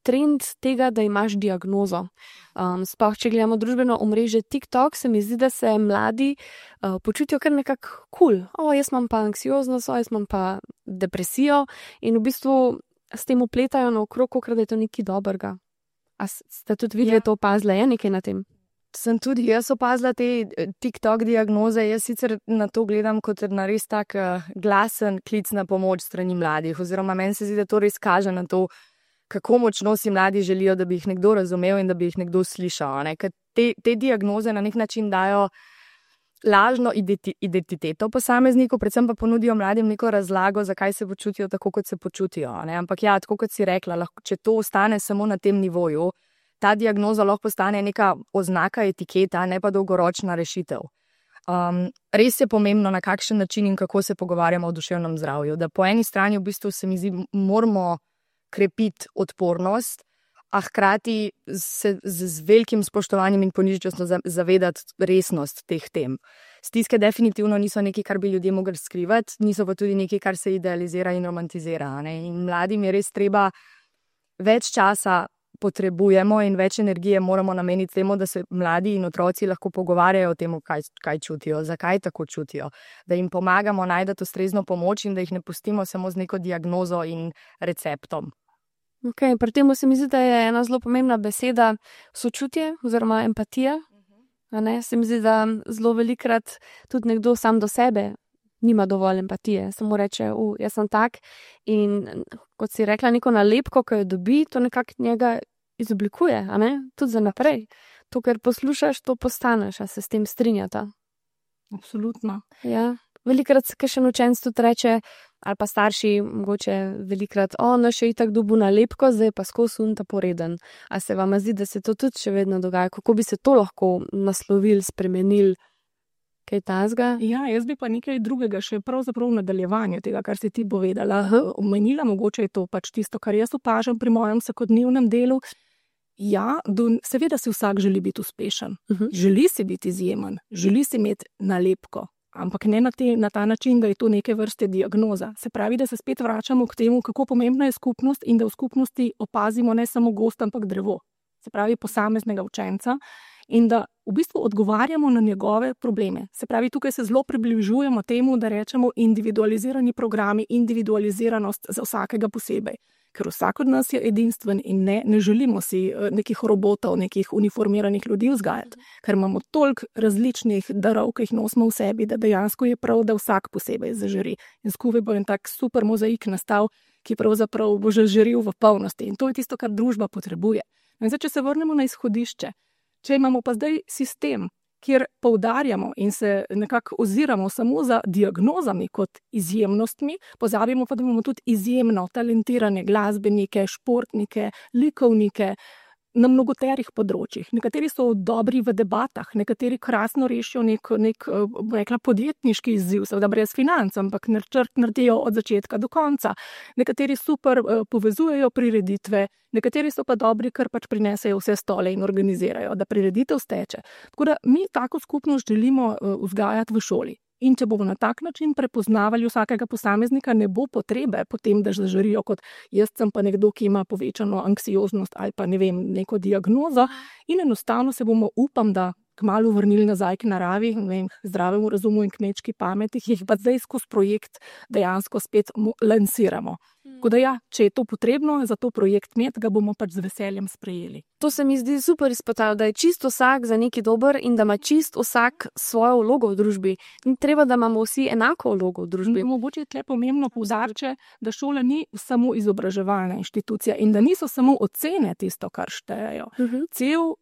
trend tega, da imaš diagnozo. Um, sploh, če gledamo družbeno omrežje TikTok, se mi zdi, da se mladi uh, počutijo kar nekako kul. Cool. O, jaz imam pa anksioznost, o, jaz imam pa depresijo in v bistvu s tem upletajo naokrog, kakor da je to nekaj dobrega. A ste tudi videli, ja. To opazila, je nekaj na tem? Sem tudi jaz opazila te TikTok diagnoze. Jaz sicer na to gledam kot na res tak glasen klic na pomoč strani mladih, oziroma meni se zdi, da to res kaže na to, kako močno si mladi želijo, da bi jih nekdo razumel in da bi jih nekdo slišal. Ne? Ker te, te diagnoze na nek način dajo lažno identiteto posamezniku, predvsem pa ponudijo mladim neko razlago, zakaj se počutijo tako, kot se počutijo. Ne? Ampak ja, tako kot si rekla, lahko, če to ostane samo na tem nivoju, ta diagnoza lahko postane neka oznaka, etiketa, ne pa dolgoročna rešitev. Um, res je pomembno, na kakšen način in kako se pogovarjamo o duševnem zdravju. Da po eni strani v bistvu se mi zdi, moramo krepiti odpornost, a hkrati se z, z velikim spoštovanjem in ponižnostjo zavedati resnost teh tem. Stiske definitivno niso nekaj, kar bi ljudje mogli skrivati, niso pa tudi nekaj, kar se idealizira in romantizira. Ne? In mladim je res treba več časa potrebujemo in več energije moramo nameniti temu, da se mladi in otroci lahko pogovarjajo o tem, kaj, kaj čutijo, zakaj tako čutijo, da jim pomagamo najti ustrezno pomoč in da jih ne pustimo samo z neko diagnozo in receptom. Okay, pri tem se mi zdi, da je ena zelo pomembna beseda sočutje oziroma empatija. A ne? Se mi zdi, da zelo velikrat tudi nekdo sam do sebe nima dovolj empatije. Samo reče, uh, jaz sem tak in kot si rekla, neko nalepko, ko jo dobi, to nekako njega izoblikuje, a ne? Tudi za naprej. To, kar poslušaš, to postaneš, a se s tem strinjata. Absolutno. Ja. Velikrat se kakšen učenec tudi reče, ali pa starši, mogoče velikrat, o, no, še itak dobu nalepko, zdaj pa skozi unta poreden. A se vam zdi, da se to tudi še vedno dogaja? Kako bi se to lahko naslovil, spremenil? Kaj tazga? Ja, jaz bi pa nekaj drugega še pravzaprav v nadaljevanju tega, kar si ti povedala. Omenila, mogoče je to pač tisto, kar jaz opažam pri mojem vsakodnevnem delu. Ja, do, seveda si vsak želi biti uspešen. Uh-huh. Želi si biti izjemen, želi si imeti nalepko. Ampak ne na, te, na ta način, da je to neke vrste diagnoza. Se pravi, da se spet vračamo k temu, kako pomembna je skupnost in da v skupnosti opazimo ne samo gost, ampak drevo. Se pravi, posameznega učenca in da v bistvu odgovarjamo na njegove probleme. Se pravi, tukaj se zelo približujemo temu, da rečemo individualizirani programi, individualiziranost za vsakega posebej. Ker vsak od nas je edinstven in ne, ne želimo si nekih robotov, nekih uniformiranih ljudi vzgajati, ker imamo toliko različnih darov, ki jih nosimo v sebi, da dejansko je prav, da vsak posebej zažari. In skupaj bo en tak super mozaik nastal, ki pravzaprav bo že žaril v polnosti. In to je tisto, kar družba potrebuje. In zdaj, če se vrnemo na izhodišče, če imamo pa zdaj sistem, kjer poudarjamo in se nekako oziramo samo za diagnozami kot izjemnostmi, pozabimo pa, da imamo tudi izjemno talentirane glasbenike, športnike, likovnike, na mnogoterih področjih. Nekateri so dobri v debatah, nekateri krasno rešijo nek, nek rekla, podjetniški izziv, seveda brez financ, ampak načrt naredijo od začetka do konca. Nekateri super povezujejo prireditve, nekateri so pa dobri, ker pač prinesejo vse stole in organizirajo, da prireditev steče. Tako da mi tako skupnost želimo vzgajati v šoli. In če bomo na tak način prepoznavali vsakega posameznika, ne bo potrebe potem, da zažarijo kot jaz sem pa nekdo, ki ima povečano anksioznost ali pa ne vem, neko diagnozo in enostavno se bomo, upam, da kmalu vrnili nazaj k naravi, ne vem, zdravemu razumu in kmečki pameti, jih pa zdaj skozi projekt dejansko spet lansiramo. Tako da ja, če je to potrebno, za to projekt imeti, ga bomo pač z veseljem sprejeli. To se mi zdi super izpostavljati, da je čisto vsak za neki dober in da ima čisto vsak svojo vlogo v družbi. Ni treba, da imamo vsi enako vlogo v družbi. Mogoče je tle pomembno poudariti, da šola ni samo izobraževalna inštitucija in da niso samo ocene tisto, kar štejejo. Uh-huh. Cel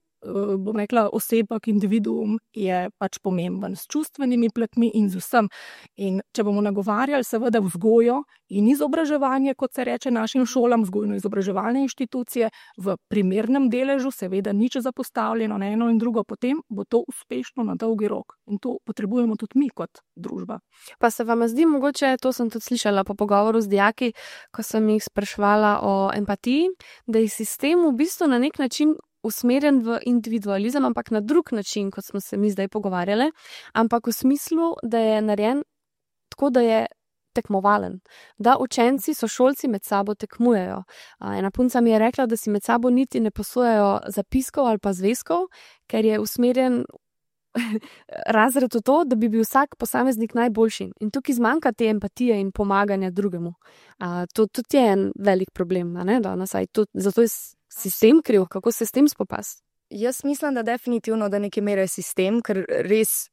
bom rekla, osebak, individuum je pač pomemben s čustvenimi platmi in z vsem. In če bomo nagovarjali seveda vzgojo in izobraževanje, kot se reče našim šolam, vzgojno-izobraževalne inštitucije, v primernem deležu, seveda nič zapostavljeno na eno in drugo, potem bo to uspešno na dolgi rok. In to potrebujemo tudi mi kot družba. Pa se vam zdi mogoče, to sem tudi slišala po pogovoru z dijaki, ko sem jih spraševala o empatiji, da je sistem v bistvu na nek način usmerjen v individualizem, ampak na drug način, kot smo se mi zdaj pogovarjali, ampak v smislu, da je narejen tako, da je tekmovalen, da učenci, sošolci med sabo tekmujejo. Ena punca mi je rekla, da si med sabo niti ne posojajo zapiskov ali pa zvezkov, ker je usmerjen razred v to, da bi bil vsak posameznik najboljši. In tukaj zmanjka te empatije in pomaganja drugemu. A, to tudi je en velik problem, ne? Da, nasaj, to, zato je sistem kriv, kako se s tem spopasti? Jaz mislim, da definitivno, da neke mere sistem, ker res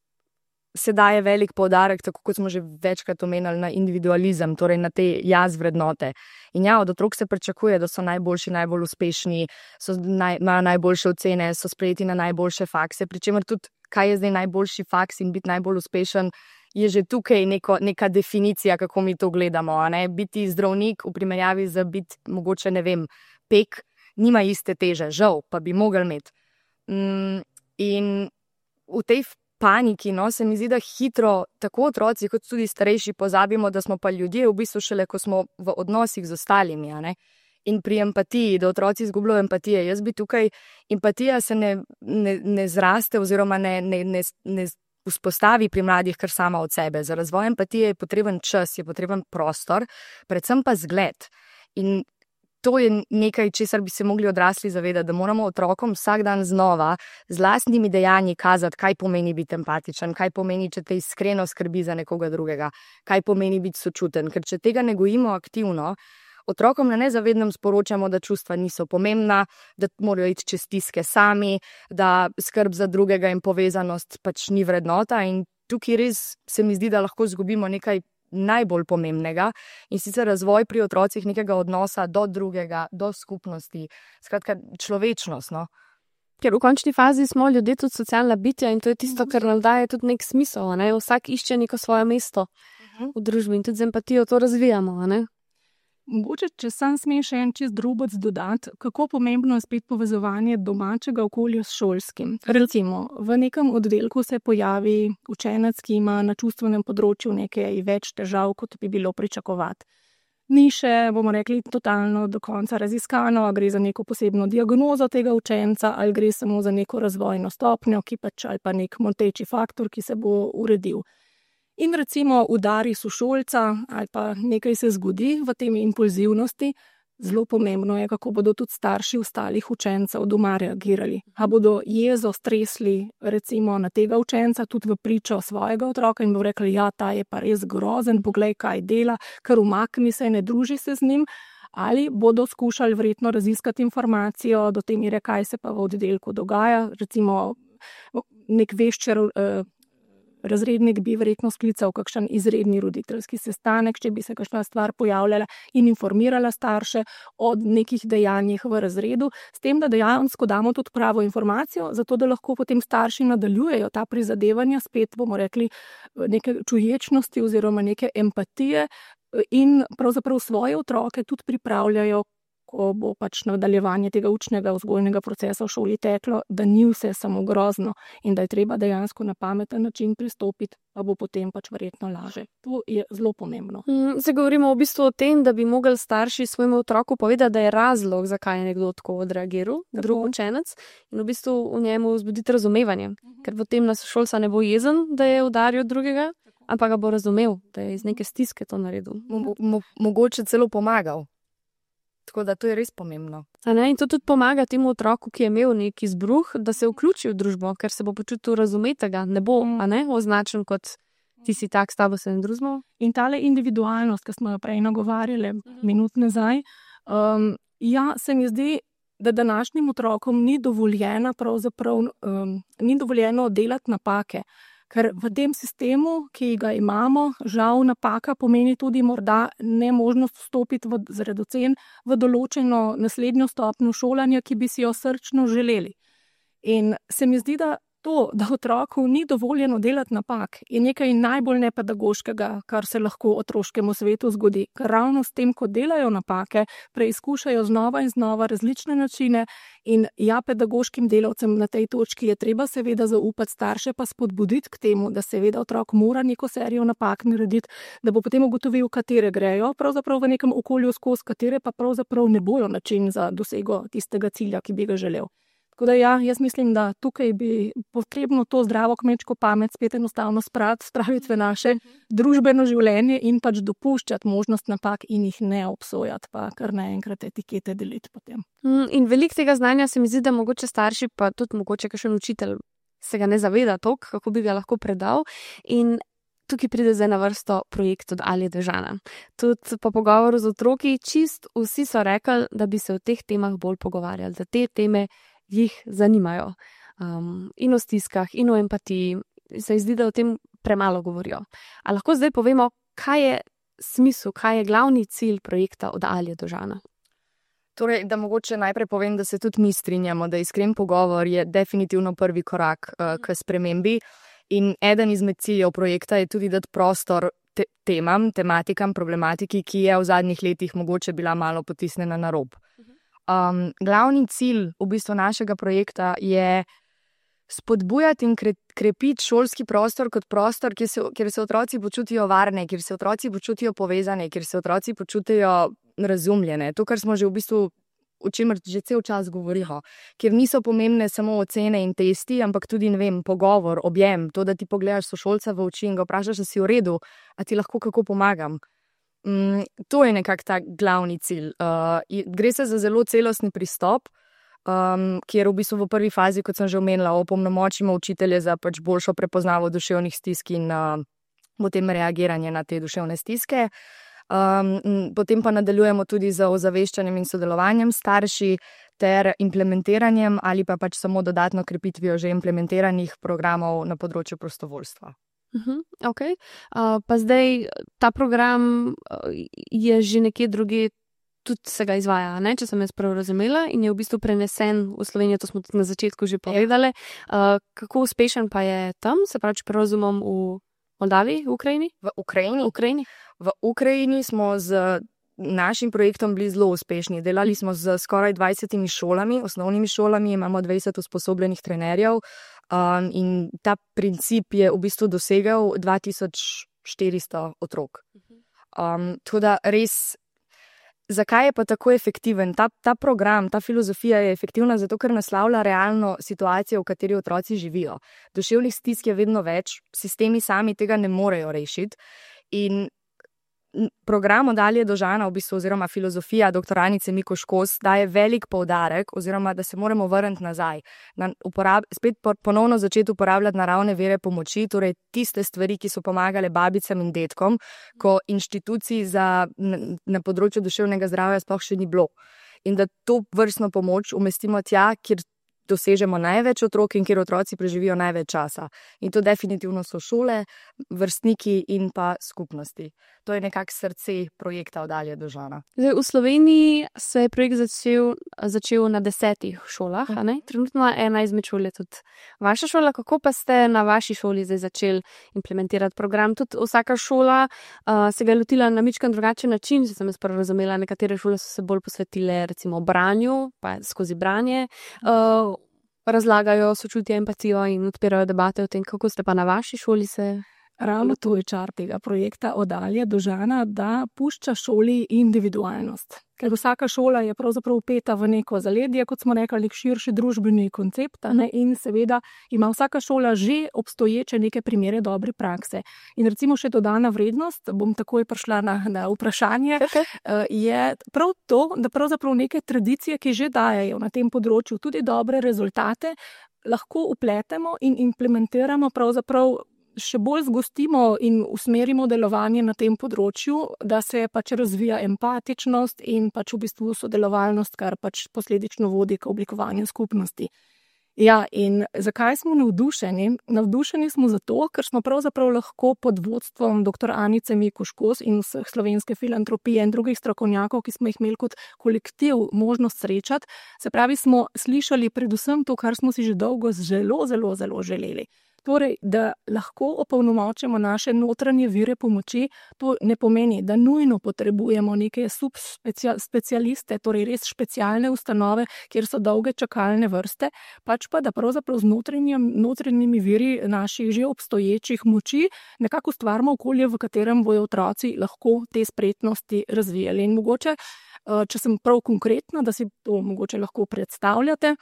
se daje velik poudarek, tako kot smo že večkrat omenili, na individualizem, torej na te jaz vrednote. In ja, od otrok se pričakuje, da so najboljši, najbolj uspešni, so naj, imajo najboljše ocene, so sprejeti na najboljše fakse, pri čemer tudi, kaj je zdaj najboljši faks in biti najbolj uspešen, je že tukaj neko, neka definicija, kako mi to gledamo. A ne? Biti zdravnik v primerjavi za biti mogoče, ne vem, pek, nima iste teže, žal, pa bi mogli imeti. Mm, in v tej paniki, no, se mi zdi, da hitro tako otroci kot tudi starejši pozabimo, da smo pa ljudje v bistvu šele, ko smo v odnosih z ostalimi, a ne? In pri empatiji, da otroci izgubljajo empatije. Jaz bi tukaj, empatija se ne, ne, ne zraste oziroma ne, ne, ne, ne vzpostavi pri mladih kar sama od sebe. Za razvoj empatije je potreben čas, je potreben prostor, predvsem pa zgled. In to je nekaj, česar bi se mogli odrasli zavedati, da moramo otrokom vsak dan znova z lastnimi dejanji kazati, kaj pomeni biti empatičen, kaj pomeni, če te iskreno skrbi za nekoga drugega, kaj pomeni biti sočuten. Ker če tega ne gojimo aktivno, otrokom na nezavednem sporočamo, da čustva niso pomembna, da morajo iti čez stiske sami, da skrb za drugega in povezanost pač ni vrednota. In tukaj res se mi zdi, da lahko izgubimo nekaj najbolj pomembnega in sicer razvoj pri otrocih nekega odnosa do drugega, do skupnosti, skratka človečnost. No? Ker v končni fazi smo ljudje tudi socialna bitja in to je tisto, kar nam daje tudi nek smisel. Ne? Vsak išče neko svoje mesto v družbi in tudi z empatijo to razvijamo. Ne? Mogoče, če sam smem še en čist drobec dodati, kako pomembno je spet povezovanje domačega okolja s šolskim. Recimo, v nekem oddelku se pojavi učenec, ki ima na čustvenem področju nekaj več težav, kot bi bilo pričakovati. Ni še, bomo rekli, totalno do konca raziskano, a gre za neko posebno diagnozo tega učenca, ali gre samo za neko razvojno stopnjo, ki pač, ali pa nek moteči faktor, ki se bo uredil. In recimo udari sošolca ali pa nekaj se zgodi v tem impulzivnosti, zelo pomembno je, kako bodo tudi starši ostalih učencev doma reagirali. A bodo jezo stresli recimo na tega učenca tudi v pričo svojega otroka in bo rekli, ja, ta je pa res grozen, poglej, kaj dela, kar umakni se, ne druži se z njim, ali bodo skušali verjetno raziskati informacijo do te mere, kaj se pa v oddelku dogaja, recimo nek veščer razrednik bi verjetno sklical kakšen izredni roditeljski sestanek, če bi se kakšna stvar pojavljala in informirala starše o nekih dejanjih v razredu, s tem, da dejansko damo tudi pravo informacijo, zato da lahko potem starši nadaljujejo ta prizadevanja, spet bomo rekli neke čuječnosti oziroma neke empatije in pravzaprav svoje otroke tudi pripravljajo, ko bo pač nadaljevanje tega učnega vzgojnega procesa v šoli teklo, da ni vse samo grozno in da je treba dejansko na pameten način pristopiti, pa bo potem pač verjetno laže. To je zelo pomembno. Zdaj govorimo v bistvu o tem, da bi mogli starši svojemu otroku povedati, da je razlog, zakaj je nekdo tako odreagiral, drug učenec, in v bistvu v njemu vzbuditi razumevanje, uh-huh. ker potem nas šolca ne bo jezen, da je udaril drugega, ampak ga bo razumel, da je iz neke stiske to naredil. Mo- mo- mogoče celo pomagal. Tako da to je res pomembno. A ne? In to tudi pomaga temu otroku, ki je imel neki izbruh, da se vključi v družbo, ker se bo počutil razumetega, ne bo a ne, označen kot ti si tak, s tabo se ne družimo. In tale individualnost, ki smo jo prej nagovarjali minut nazaj, um, ja, se mi zdi, da današnjim otrokom ni dovoljeno pravzaprav, um, ni dovoljeno delati napake. Ker v tem sistemu, ki ga imamo, žal napaka pomeni tudi morda nemožnost vstopiti v, zaradi ocen v določeno naslednjo stopnjo šolanja, ki bi si jo srčno želeli. In se mi zdi, da to, da otroku ni dovoljeno delati napak, je nekaj najbolj nepedagoškega, kar se lahko otroškemu svetu zgodi. Ker ravno s tem, ko delajo napake, preizkušajo znova in znova različne načine in ja, pedagoškim delavcem na tej točki je treba seveda zaupati, starše pa spodbuditi k temu, da seveda otrok mora neko serijo napak narediti, da bo potem ugotovil, katere grejo pravzaprav v nekem okolju skozi, katere pa pravzaprav ne bojo način za dosego tistega cilja, ki bi ga želel. Tako da ja, jaz mislim, da tukaj bi potrebno to zdravo kmečko pamet spet enostavno spraviti, spraviti v naše družbeno življenje in pač dopuščati možnost napak in jih ne obsojati, pa kar naenkrat etikete deliti potem. In veliko tega znanja se mi zdi, da mogoče starši, pa tudi mogoče kakšen učitelj se ga ne zaveda toliko, kako bi ga lahko predal. In tukaj pride zdaj na vrsto projekt od Alje Dežana. Tudi po pogovoru z otroki čist vsi so rekli, da bi se o teh temah bolj pogovarjali, da te teme jih zanimajo. Um, in o stiskah, in o empatiji. Se zdi, da o tem premalo govorijo. A lahko zdaj povemo, kaj je smisel, kaj je glavni cilj projekta od Alje Dežana? Torej, da mogoče najprej povem, da se tudi mi strinjamo, da iskren pogovor je definitivno prvi korak uh, k spremembi. In eden izmed ciljev projekta je tudi dati prostor te- temam, tematikam, problematiki, ki je v zadnjih letih mogoče bila malo potisnjena na rob. Um, glavni cilj v bistvu našega projekta je spodbujati in kre, krepiti šolski prostor kot prostor, kjer se, kjer se otroci počutijo varne, kjer se otroci počutijo povezane, kjer se otroci počutijo razumljene. To, kar smo že v bistvu, o čemer že cel čas govorimo, kjer niso pomembne samo ocene in testi, ampak tudi, ne vem, pogovor, objem, to, da ti pogledaš sošolca v oči in ga vprašaš, da si v redu, a ti lahko kako pomagam. Mm, to je nekako ta glavni cilj. Uh, gre se za zelo celostni pristop, um, kjer v bistvu v prvi fazi, kot sem že omenila, opolnomočimo učitelje za pač boljšo prepoznavo duševnih stisk in uh, potem reagiranje na te duševne stiske. Um, potem pa nadaljujemo tudi z ozaveščanjem in sodelovanjem starši ter implementiranjem ali pa pač samo dodatno krepitvijo že implementiranih programov na področju prostovoljstva. Uh-huh, okay. uh, pa zdaj ta program je že nekje druge, tudi se ga izvaja, ne? Če sem jaz prav razumela, in je v bistvu prenesen v Slovenijo, to smo tudi na začetku že povedali. Uh, kako uspešen pa je tam, se pravi, če razumem, v Moldaviji, v Ukrajini? V Ukrajini? Ukrajini? V Ukrajini smo z našim projektom bili zelo uspešni. Delali smo z skoraj dvajsetimi šolami, osnovnimi šolami, imamo dvajset usposobljenih trenerjev. Um, in ta princip je v bistvu dosegel dva tisoč štiristo otrok. Um, tako da res, zakaj je pa tako efektiven? Ta, ta program, ta filozofija je efektivna zato, ker naslavlja realno situacijo, v kateri otroci živijo. Duševnih stisk je vedno več, sistemi sami tega ne morejo rešiti. In program od Alje Dežana, v bistvu, oziroma filozofija doktor Anice Mikuš Kos daje velik poudarek, oziroma da se moramo vrniti nazaj, na uporab, spet ponovno začeti uporabljati naravne vire pomoči, torej tiste stvari, ki so pomagale babicam in detkom, ko inštitucij za, na, na področju duševnega zdravja sploh še ni bilo. In da to vrstno pomoč umestimo tja, kjer dosežemo največ otrok in kjer otroci preživijo največ časa. In to definitivno so šole, vrstniki in pa skupnosti. To je nekako srce projekta Oddalje do Žana. Zdaj, v Sloveniji se je projekt začel, začel na desetih šolah, a ne? Trenutno ena izmed šol je tudi vaša šola. Kako pa ste na vaši šoli zdaj začeli implementirati program? Tudi vsaka šola uh, se ga je lotila na mičkan drugačen način, če sem jaz prvo razumela. Nekatere šole so se bolj posvetile recimo branju, pa skozi branje, uh, razlagajo sočutje, empatijo in odpirajo debate o tem, kako ste pa na vaši šoli se... Ravno to je čar tega projekta Oddalje do Žana, da pušča šoli individualnost. Ker vsaka šola je pravzaprav upeta v neko zaledje, kot smo rekli, širši družbeni koncept, ne? In seveda ima vsaka šola že obstoječe neke primere dobre prakse. In recimo še dodana vrednost, bom takoj prišla na, na vprašanje, je prav to, da pravzaprav neke tradicije, ki že dajejo na tem področju tudi dobre rezultate, lahko upletemo in implementiramo pravzaprav še bolj zgostimo in usmerimo delovanje na tem področju, da se pač razvija empatičnost in pač v bistvu sodelovalnost, kar pač posledično vodi k oblikovanju skupnosti. Ja, in zakaj smo navdušeni? Navdušeni smo zato, ker smo pravzaprav lahko pod vodstvom doktor Anice Mikuš-Kos in vseh slovenske filantropije in drugih strokovnjakov, ki smo jih imeli kot kolektiv možnost srečati, se pravi, smo slišali predvsem to, kar smo si že dolgo zelo, zelo, zelo želeli. Torej, da lahko opolnomočimo naše notranje vire pomoči, to ne pomeni, da nujno potrebujemo neke subspecialiste, torej res specialne ustanove, kjer so dolge čakalne vrste, pač pa, da pravzaprav z notranjimi viri naših že obstoječih moči nekako ustvarimo okolje, v katerem bojo otroci lahko te spretnosti razvijali. In mogoče, če sem prav konkretna, da si to mogoče lahko predstavljate,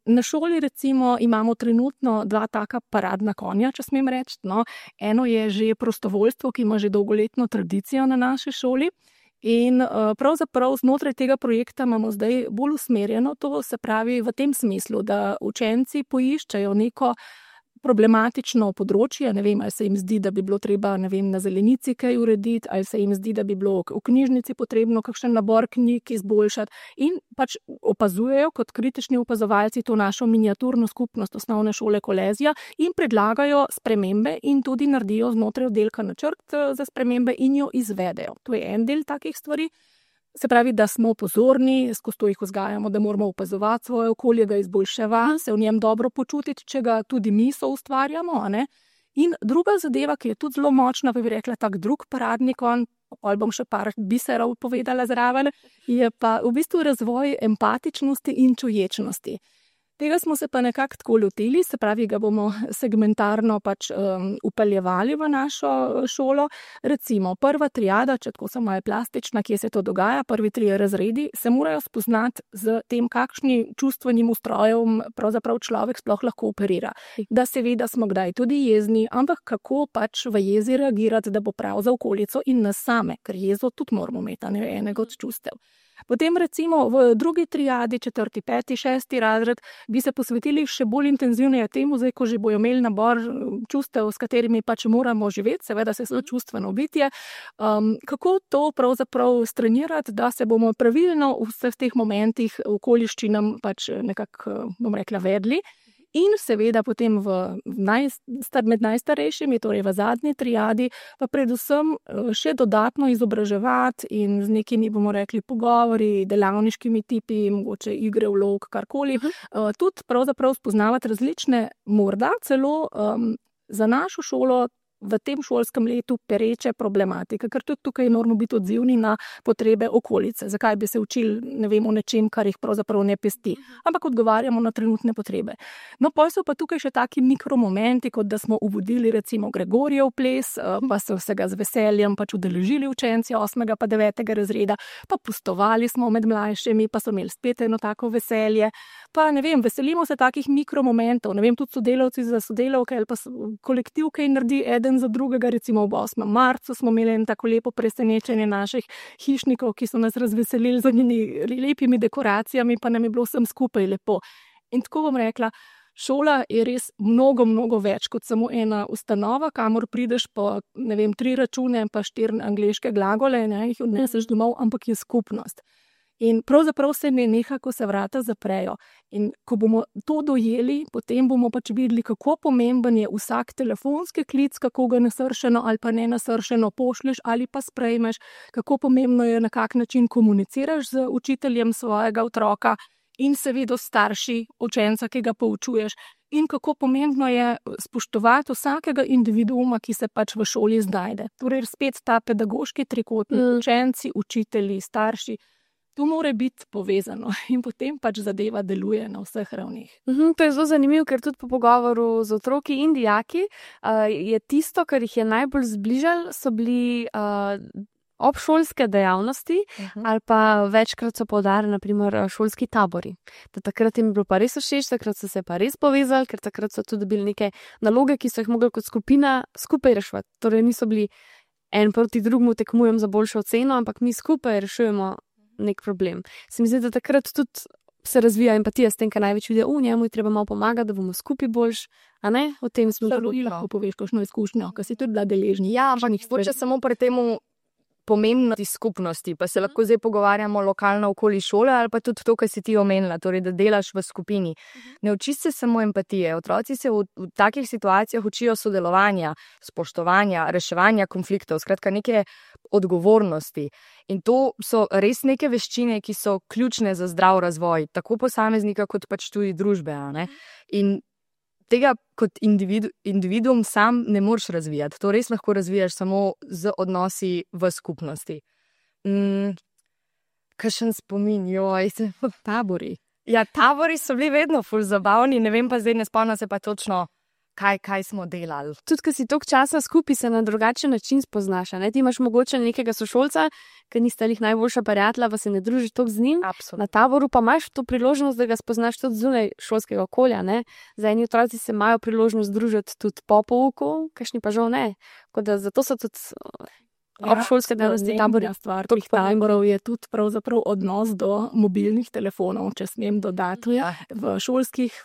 na šoli recimo imamo trenutno dva taka paradna konja, če smem reči. No, eno je že prostovoljstvo, ki ima že dolgoletno tradicijo na naši šoli. In pravzaprav znotraj tega projekta imamo zdaj bolj usmerjeno to, se pravi v tem smislu, da učenci poiščejo neko problematično področje, ne vem, ali se jim zdi, da bi bilo treba, ne vem, na zelenici kaj urediti, ali se jim zdi, da bi bilo v knjižnici potrebno kakšen nabor knjig izboljšati in pač opazujejo kot kritični opazovalci to našo miniaturno skupnost osnovne šole Kolezija in predlagajo spremembe in tudi naredijo znotraj oddelka načrt za spremembe in jo izvedejo. To je en del takih stvari. Se pravi, da smo pozorni, skozi to jih vzgajamo, da moramo opazovati svoje okolje, ga izboljševati, se v njem dobro počutiti, če ga tudi mi soustvarjamo, a ne? In druga zadeva, ki je tudi zelo močna, bi rekla tak drug paradni konj, ali bom še par biserov povedala zraven, je pa v bistvu razvoj empatičnosti in čuječnosti. Tega smo se pa nekako tako lotili, se pravi, ga bomo segmentarno pač um, upeljevali v našo šolo. Recimo, prva triada, če tako sem malo plastična, kje se to dogaja, prvi trije razredi, se morajo spoznati z tem, kakšni čustvenim ustrojem pravzaprav človek sploh lahko operira. Da seveda smo kdaj tudi jezni, ampak kako pač v jezi reagirati, da bo prav za okolico in nas same, ker jezo tudi moramo imeti, ne enega od čustev. Potem recimo v drugi triadi, četrti, peti, šesti razred, bi se posvetili še bolj intenzivneje temu, zdaj, ko že bojo imeli nabor čustev, s katerimi pač moramo živeti, seveda se so čustveno bitje, um, kako to pravzaprav strenirati, da se bomo pravilno v vseh teh momentih okoliščinam pač nekako, bom rekla, vedli. In seveda potem v najst, med najstarejšimi, torej v zadnji triadi, pa predvsem še dodatno izobraževati in z nekimi, bomo rekli, pogovori, delavniškimi tipi, mogoče igre, vlog, karkoli, tudi pravzaprav spoznavati različne, morda celo um, za našo šolo v tem šolskem letu pereče problematike, ker tudi tukaj moramo biti odzivni na potrebe okolice. Zakaj bi se učili, ne vem, o nečem, kar jih pravzaprav ne pesti, ampak odgovarjamo na trenutne potrebe. No, pol so pa tukaj še taki mikromomenti, kot da smo uvodili recimo Gregorijev ples, pa so se ga z veseljem pač udeležili učenci osmega pa devetega razreda, pa pustovali smo med mlajšimi, pa so imeli spet eno tako veselje. Pa ne vem, veselimo se takih mikromomentov, ne vem, tudi sodelavci za sodelavke ali pa kolektiv, kaj naredi eden za drugega, recimo ob osmem marcu smo imeli eno tako lepo presenečenje naših hišnikov, ki so nas razveselili z njimi lepimi dekoracijami, pa nam je bilo vsem skupaj lepo. In tako bom rekla, šola je res mnogo, mnogo več kot samo ena ustanova, kamor prideš po, ne vem, tri račune, pa štiri angleške glagole, ne, jih odneseš domov, ampak je skupnost. In pravzaprav se mi neha, ko se vrata zaprejo. In ko bomo to dojeli, potem bomo pač videli, kako pomemben je vsak telefonski klic, kako ga nasršeno ali pa ne nasršeno pošlješ ali pa sprejmeš, kako pomembno je, na kak način komuniciraš z učiteljem svojega otroka in seveda starši učenca, ki ga poučuješ. In kako pomembno je spoštovati vsakega individuuma, ki se pač v šoli znajde. Torej spet ta pedagoški trikotnik, mm. učenci, učitelji, starši. To mora biti povezano in potem pač zadeva deluje na vseh ravnih. Uhum, to je zelo zanimivo, ker tudi po pogovoru z otroki in dijaki uh, je tisto, kar jih je najbolj zbližalo, so bili uh, obšolske dejavnosti uh-huh. ali pa večkrat so poudarjali, naprimer, šolski tabori. Da takrat jim je bilo pa res všeč, takrat so se pa res povezali, ker takrat so tudi dobili neke naloge, ki so jih mogli kot skupina skupaj reševati. Torej niso bili en proti drugemu tekmujem za boljšo oceno, ampak mi skupaj rešujemo nek problem. Se mi zdi, da takrat tudi se razvija empatija s tem, kar največ vidijo, v njemu je treba malo pomagati, da bomo skupaj boljš, a ne? O tem smo tudi lahko poveš kakšno izkušnjo, ki si tudi bila deležni. Ja, ampak hoče samo pri temu pomembnosti skupnosti, pa se lahko zdaj pogovarjamo lokalno okoli šole ali pa tudi to, kar si ti omenila, torej da delaš v skupini. Ne učiš se samo empatije, otroci se v, v takih situacijah učijo sodelovanja, spoštovanja, reševanja konfliktov, skratka neke odgovornosti. In to so res neke veščine, ki so ključne za zdrav razvoj, tako posameznika kot pač tudi družbe. A ne? In tega kot individu, individuum sam ne moreš razvijati. To res lahko razvijaš samo z odnosi v skupnosti. Mm, kakšen spomin, joj. Tabori. Ja, tabori so bili vedno ful zabavni, ne vem pa zdaj, ne spomnim se pa točno, kaj, kaj smo delali. Tudi, ko si toliko časa skupaj, se na drugačen način spoznaš. Ne? Ti imaš mogoče nekega sošolca, ki nista jih najboljša prijatelja, pa se ne družiš toliko z njim. Absolutno. Na taboru pa imaš to priložnost, da ga spoznaš tudi zunaj šolskega okolja. Ne? Za eni otroci se imajo priložnost družiti tudi po pouku, kakšni pa žal ne. Da, zato so tudi ja, obšolske dejavnosti tabori. Stvar teh taborov je tudi pravzaprav odnos do mobilnih telefonov, če smem dodati. Ja. V šolskih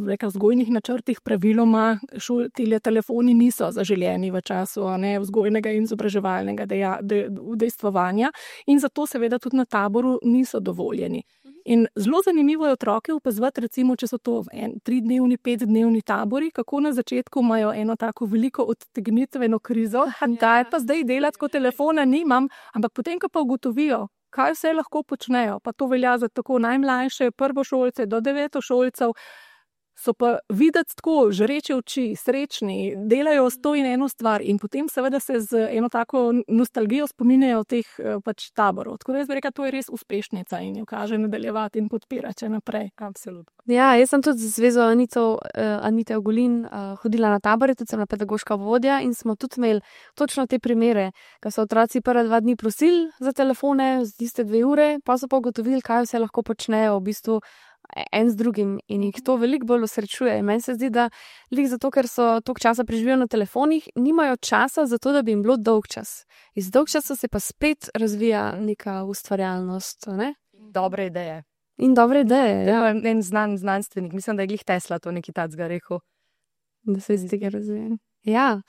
reka, vzgojnih načrtih praviloma šol, tile telefoni niso zaželjeni v času ne, vzgojnega in izobraževalnega deja, de, udejstvovanja in zato seveda tudi na taboru niso dovoljeni. In zelo zanimivo je otroke opazovati, recimo, če so to en, tridnevni, petdnevni tabori, kako na začetku imajo eno tako veliko odtegnitveno krizo, da je pa zdaj delati, ko telefona nimam, ampak potem, ko pa ugotovijo, kaj vse lahko počnejo, pa to velja za tako najmlajše prvošolce do devetošolcev, so pa videti tako, žreče oči, srečni, delajo sto in eno stvar in potem seveda se z eno tako nostalgijo spominjajo teh pač taborov. Tako da jaz bi rekla, to je res uspešnica in jo kaže nadaljevati in podpirati naprej. Absolutno. Ja, jaz sem tudi z zvezo Anito, uh, Anite Ogulin uh, hodila na tabore, tudi sem na pedagoška vodja in smo tudi imeli točno te primere, ko so otroci prva dva dni prosili za telefone, z tiste dve ure, pa so pa ugotovili, kaj vse lahko počnejo v bistvu en z drugim in jih to veliko bolj osrečuje. Meni se zdi, da lik zato, ker so toliko časa preživijo na telefonih, nimajo časa za to, da bi jim bilo dolg čas. Iz dolg časa se pa spet razvija neka ustvarjalnost. Ne? Dobre ideje. In dobre ideje, ja. En znan znanstvenik, mislim, da je glih Tesla to nekaj tacga rekel. Da se iz tega razvija. Ja,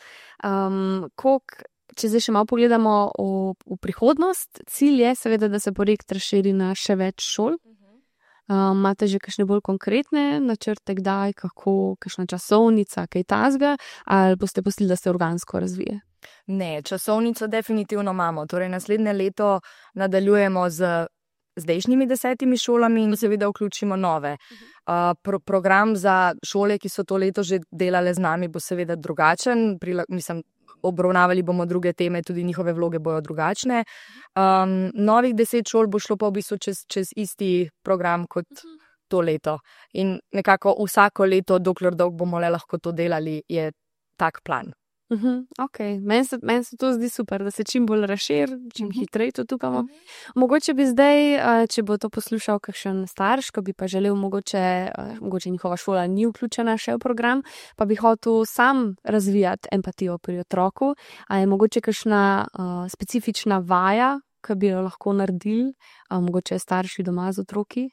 um, koliko, če zdaj še malo pogledamo v, v prihodnost, cilj je seveda, da se projekt razširi na še več šol. Um, imate že kakšne bolj konkretne načrte, kdaj, kako, kakšna časovnica, kaj tazga, ali boste pustili, da se organsko razvije? Ne, časovnico definitivno imamo. Torej, naslednje leto nadaljujemo z zdajšnjimi desetimi šolami in seveda vključimo nove. Uh, pro, program za šole, ki so to leto že delale z nami, bo seveda drugačen. Prila, mislim, obravnavali bomo druge teme, tudi njihove vloge bojo drugačne. Um, novih deset šol bo šlo pa v bistvu čez, čez isti program kot to leto. In nekako vsako leto, dokler dolgo bomo le lahko to delali, je tak plan. Uh-huh, ok, meni se, men se to zdi super, da se čim bolj razširi, čim uh-huh. hitreje to tukamo. Uh-huh. Mogoče bi zdaj, če bo to poslušal kakšen starš, ko bi pa želel, mogoče, mogoče njihova šola ni vključena še v program, pa bi hotel sam razvijati empatijo pri otroku, a je mogoče kakšna uh, specifična vaja, ki bi jo lahko naredili, uh, mogoče starši doma z otroki?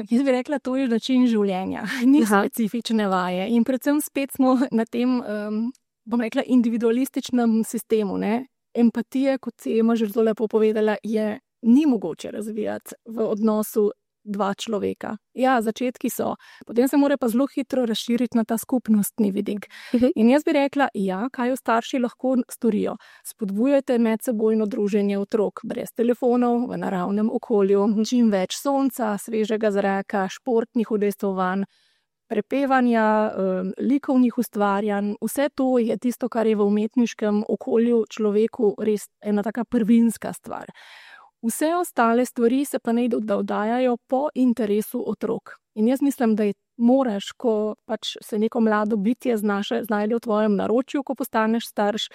Jaz bi rekla, to je način življenja, ni Aha. specifične vaje in predvsem spet smo na tem, um, bom rekla, individualističnem sistemu. Ne? Empatija, kot si ima že zelo lepo povedala, je ni mogoče razvijati v odnosu dva človeka. Ja, začetki so, potem se mora pa zelo hitro razširiti na ta skupnostni vidik. In jaz bi rekla, ja, kaj jo starši lahko storijo. Spodbujajte medsebojno druženje otrok, brez telefonov, v naravnem okolju, čim več sonca, svežega zraka, športnih udejstvovanj, prepevanja, likovnih ustvarjanj. Vse to je tisto, kar je v umetniškem okolju človeku res ena taka prvinska stvar. Vse ostale stvari se pa naj dodajajo po interesu otrok. In jaz mislim, da je moraš, ko pač se neko mlado bitje znaše, znajde v tvojem naročju, ko postaneš starš,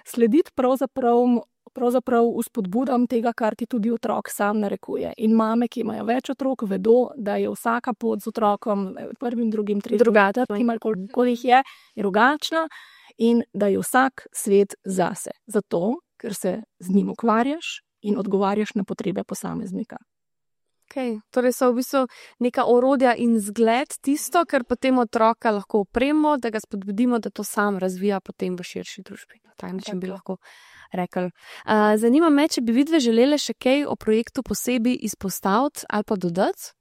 slediti pravzaprav, pravzaprav vzpodbudam tega, kar ti tudi otrok sam narekuje. In mame, ki imajo več otrok, vedo, da je vsaka pot z otrokom, prvim, drugim, tretjim, drugata, koliko jih je, je drugačna in da je vsak svet zase. Zato, ker se z njim ukvarjaš in odgovarjaš na potrebe posameznika. Okay. Torej so v bistvu neka orodja in zgled tisto, kar potem otroka lahko opremo, da ga spodbudimo, da to sam razvija potem v širši družbi. Na tak način bi lahko rekli. Uh, zanima me, če bi vidve želele še kaj o projektu posebej izpostaviti ali pa dodati?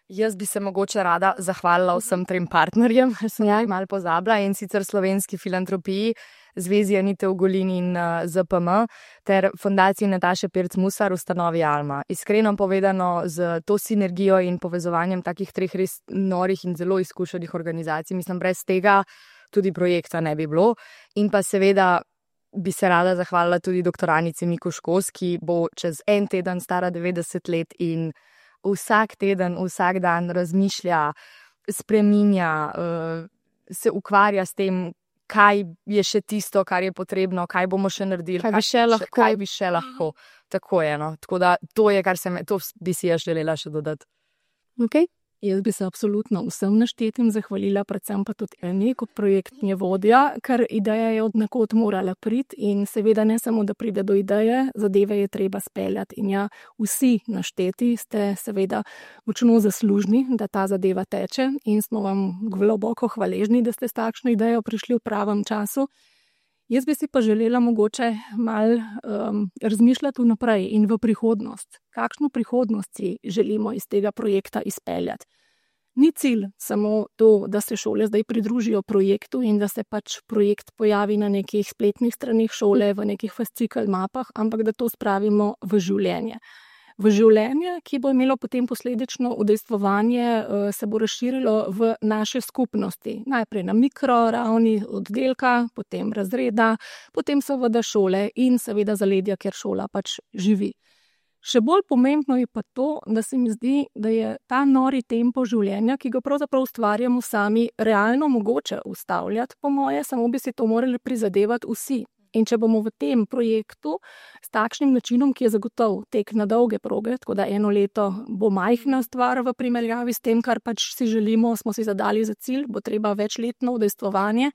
Jaz bi se mogoče rada zahvalila vsem trem partnerjem, sem ja. malo pozabila, in sicer Slovenski filantropiji, Zvezi Anite Ugolin in uh, Z P M ter Fundaciji Nataše Pirc-Musar, ustanovi Alma. Iskreno povedano, z to sinergijo in povezovanjem takih treh res norih in zelo izkušenih organizacij, mislim, brez tega tudi projekta ne bi bilo. In pa seveda bi se rada zahvalila tudi doktoranici Mikuškos, ki bo čez en teden stara devetdeset let in vsak teden, vsak dan razmišlja, spreminja, uh, se ukvarja s tem, kaj je še tisto, kar je potrebno, kaj bomo še naredili, kaj bi še lahko. Kaj bi še lahko. Tako je, no. Tako da to je, kar se me, to bi si jaz želela še dodati. Okay. Jaz bi se absolutno vsem naštetim zahvalila, predvsem pa tudi eni kot projektni vodja, ker ideja je od nekod morala priti in seveda ne samo, da pride do ideje, zadeve je treba speljati. In ja, vsi našteti ste seveda močno zaslužni, da ta zadeva teče in smo vam globoko hvaležni, da ste s takšno idejo prišli v pravem času. Jaz bi si pa želela mogoče malo um, razmišljati vnaprej in v prihodnost. Kakšno prihodnost si želimo iz tega projekta izpeljati? Ni cilj samo to, da se šole zdaj pridružijo projektu in da se pač projekt pojavi na nekih spletnih stranih šole, v nekih fascikel mapah, ampak da to spravimo v življenje. V življenje, ki bo imelo potem posledično udejstvovanje, se bo razširilo v naše skupnosti. Najprej na mikroravni oddelka, potem razreda, potem seveda šole in seveda zaledja, kjer šola pač živi. Še bolj pomembno je pa to, da se mi zdi, da je ta nori tempo življenja, ki ga pravzaprav ustvarjamo sami, realno mogoče ustavljati, po moje, samo bi si to morali prizadevati vsi. In če bomo v tem projektu s takšnim načinom, ki je zagotov tek na dolge proge, tako da eno leto bo majhna stvar v primerjavi s tem, kar pač si želimo, smo si zadali za cilj, bo treba večletno udejstvovanje,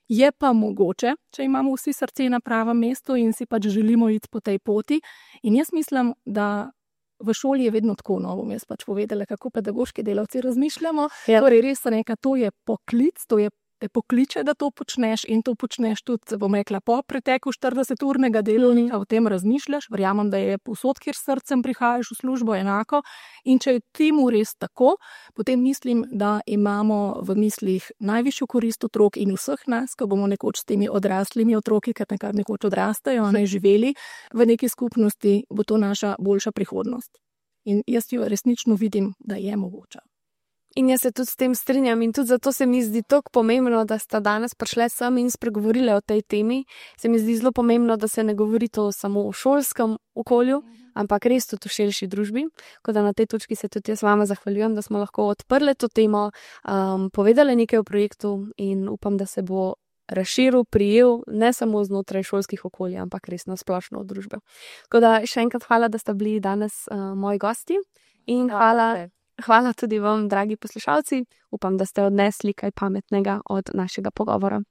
je pa mogoče, če imamo vsi srce na pravem mestu in si pač želimo iti po tej poti. In jaz mislim, da v šoli je vedno tako, no, bom jaz pač povedala, kako pedagoški delavci razmišljamo. Ja. Torej res nekaj, to je poklic, to je te pokliče, da to počneš in to počneš tudi, bom rekla, po preteku štirideseturnega delovnika, o tem razmišljaš, verjamem, da je povsod, kjer s srcem prihajaš v službo, enako. In če je temu res tako, potem mislim, da imamo v mislih najvišjo korist otrok in vseh nas, ko bomo nekoč s temi odraslimi otroki, ker nekaj nekoč odrastajo, ne živeli v neki skupnosti, bo to naša boljša prihodnost. In jaz jo resnično vidim, da je mogoča. In jaz se tudi s tem strinjam in tudi zato se mi zdi tako pomembno, da sta danes prišle sem in spregovorile o tej temi. Se mi zdi zelo pomembno, da se ne govori to samo o šolskem okolju, ampak res tudi v širši družbi. Tako da na tej točki se tudi jaz vama zahvaljujem, da smo lahko odprli to temo, um, povedali nekaj o projektu in upam, da se bo razširil, prijel ne samo znotraj šolskih okolij, ampak res na splošno v družbe. Tako da še enkrat hvala, da ste bili danes uh, moji gosti in hvala. Hvala tudi vam, dragi poslušalci. Upam, da ste odnesli kaj pametnega od našega pogovora.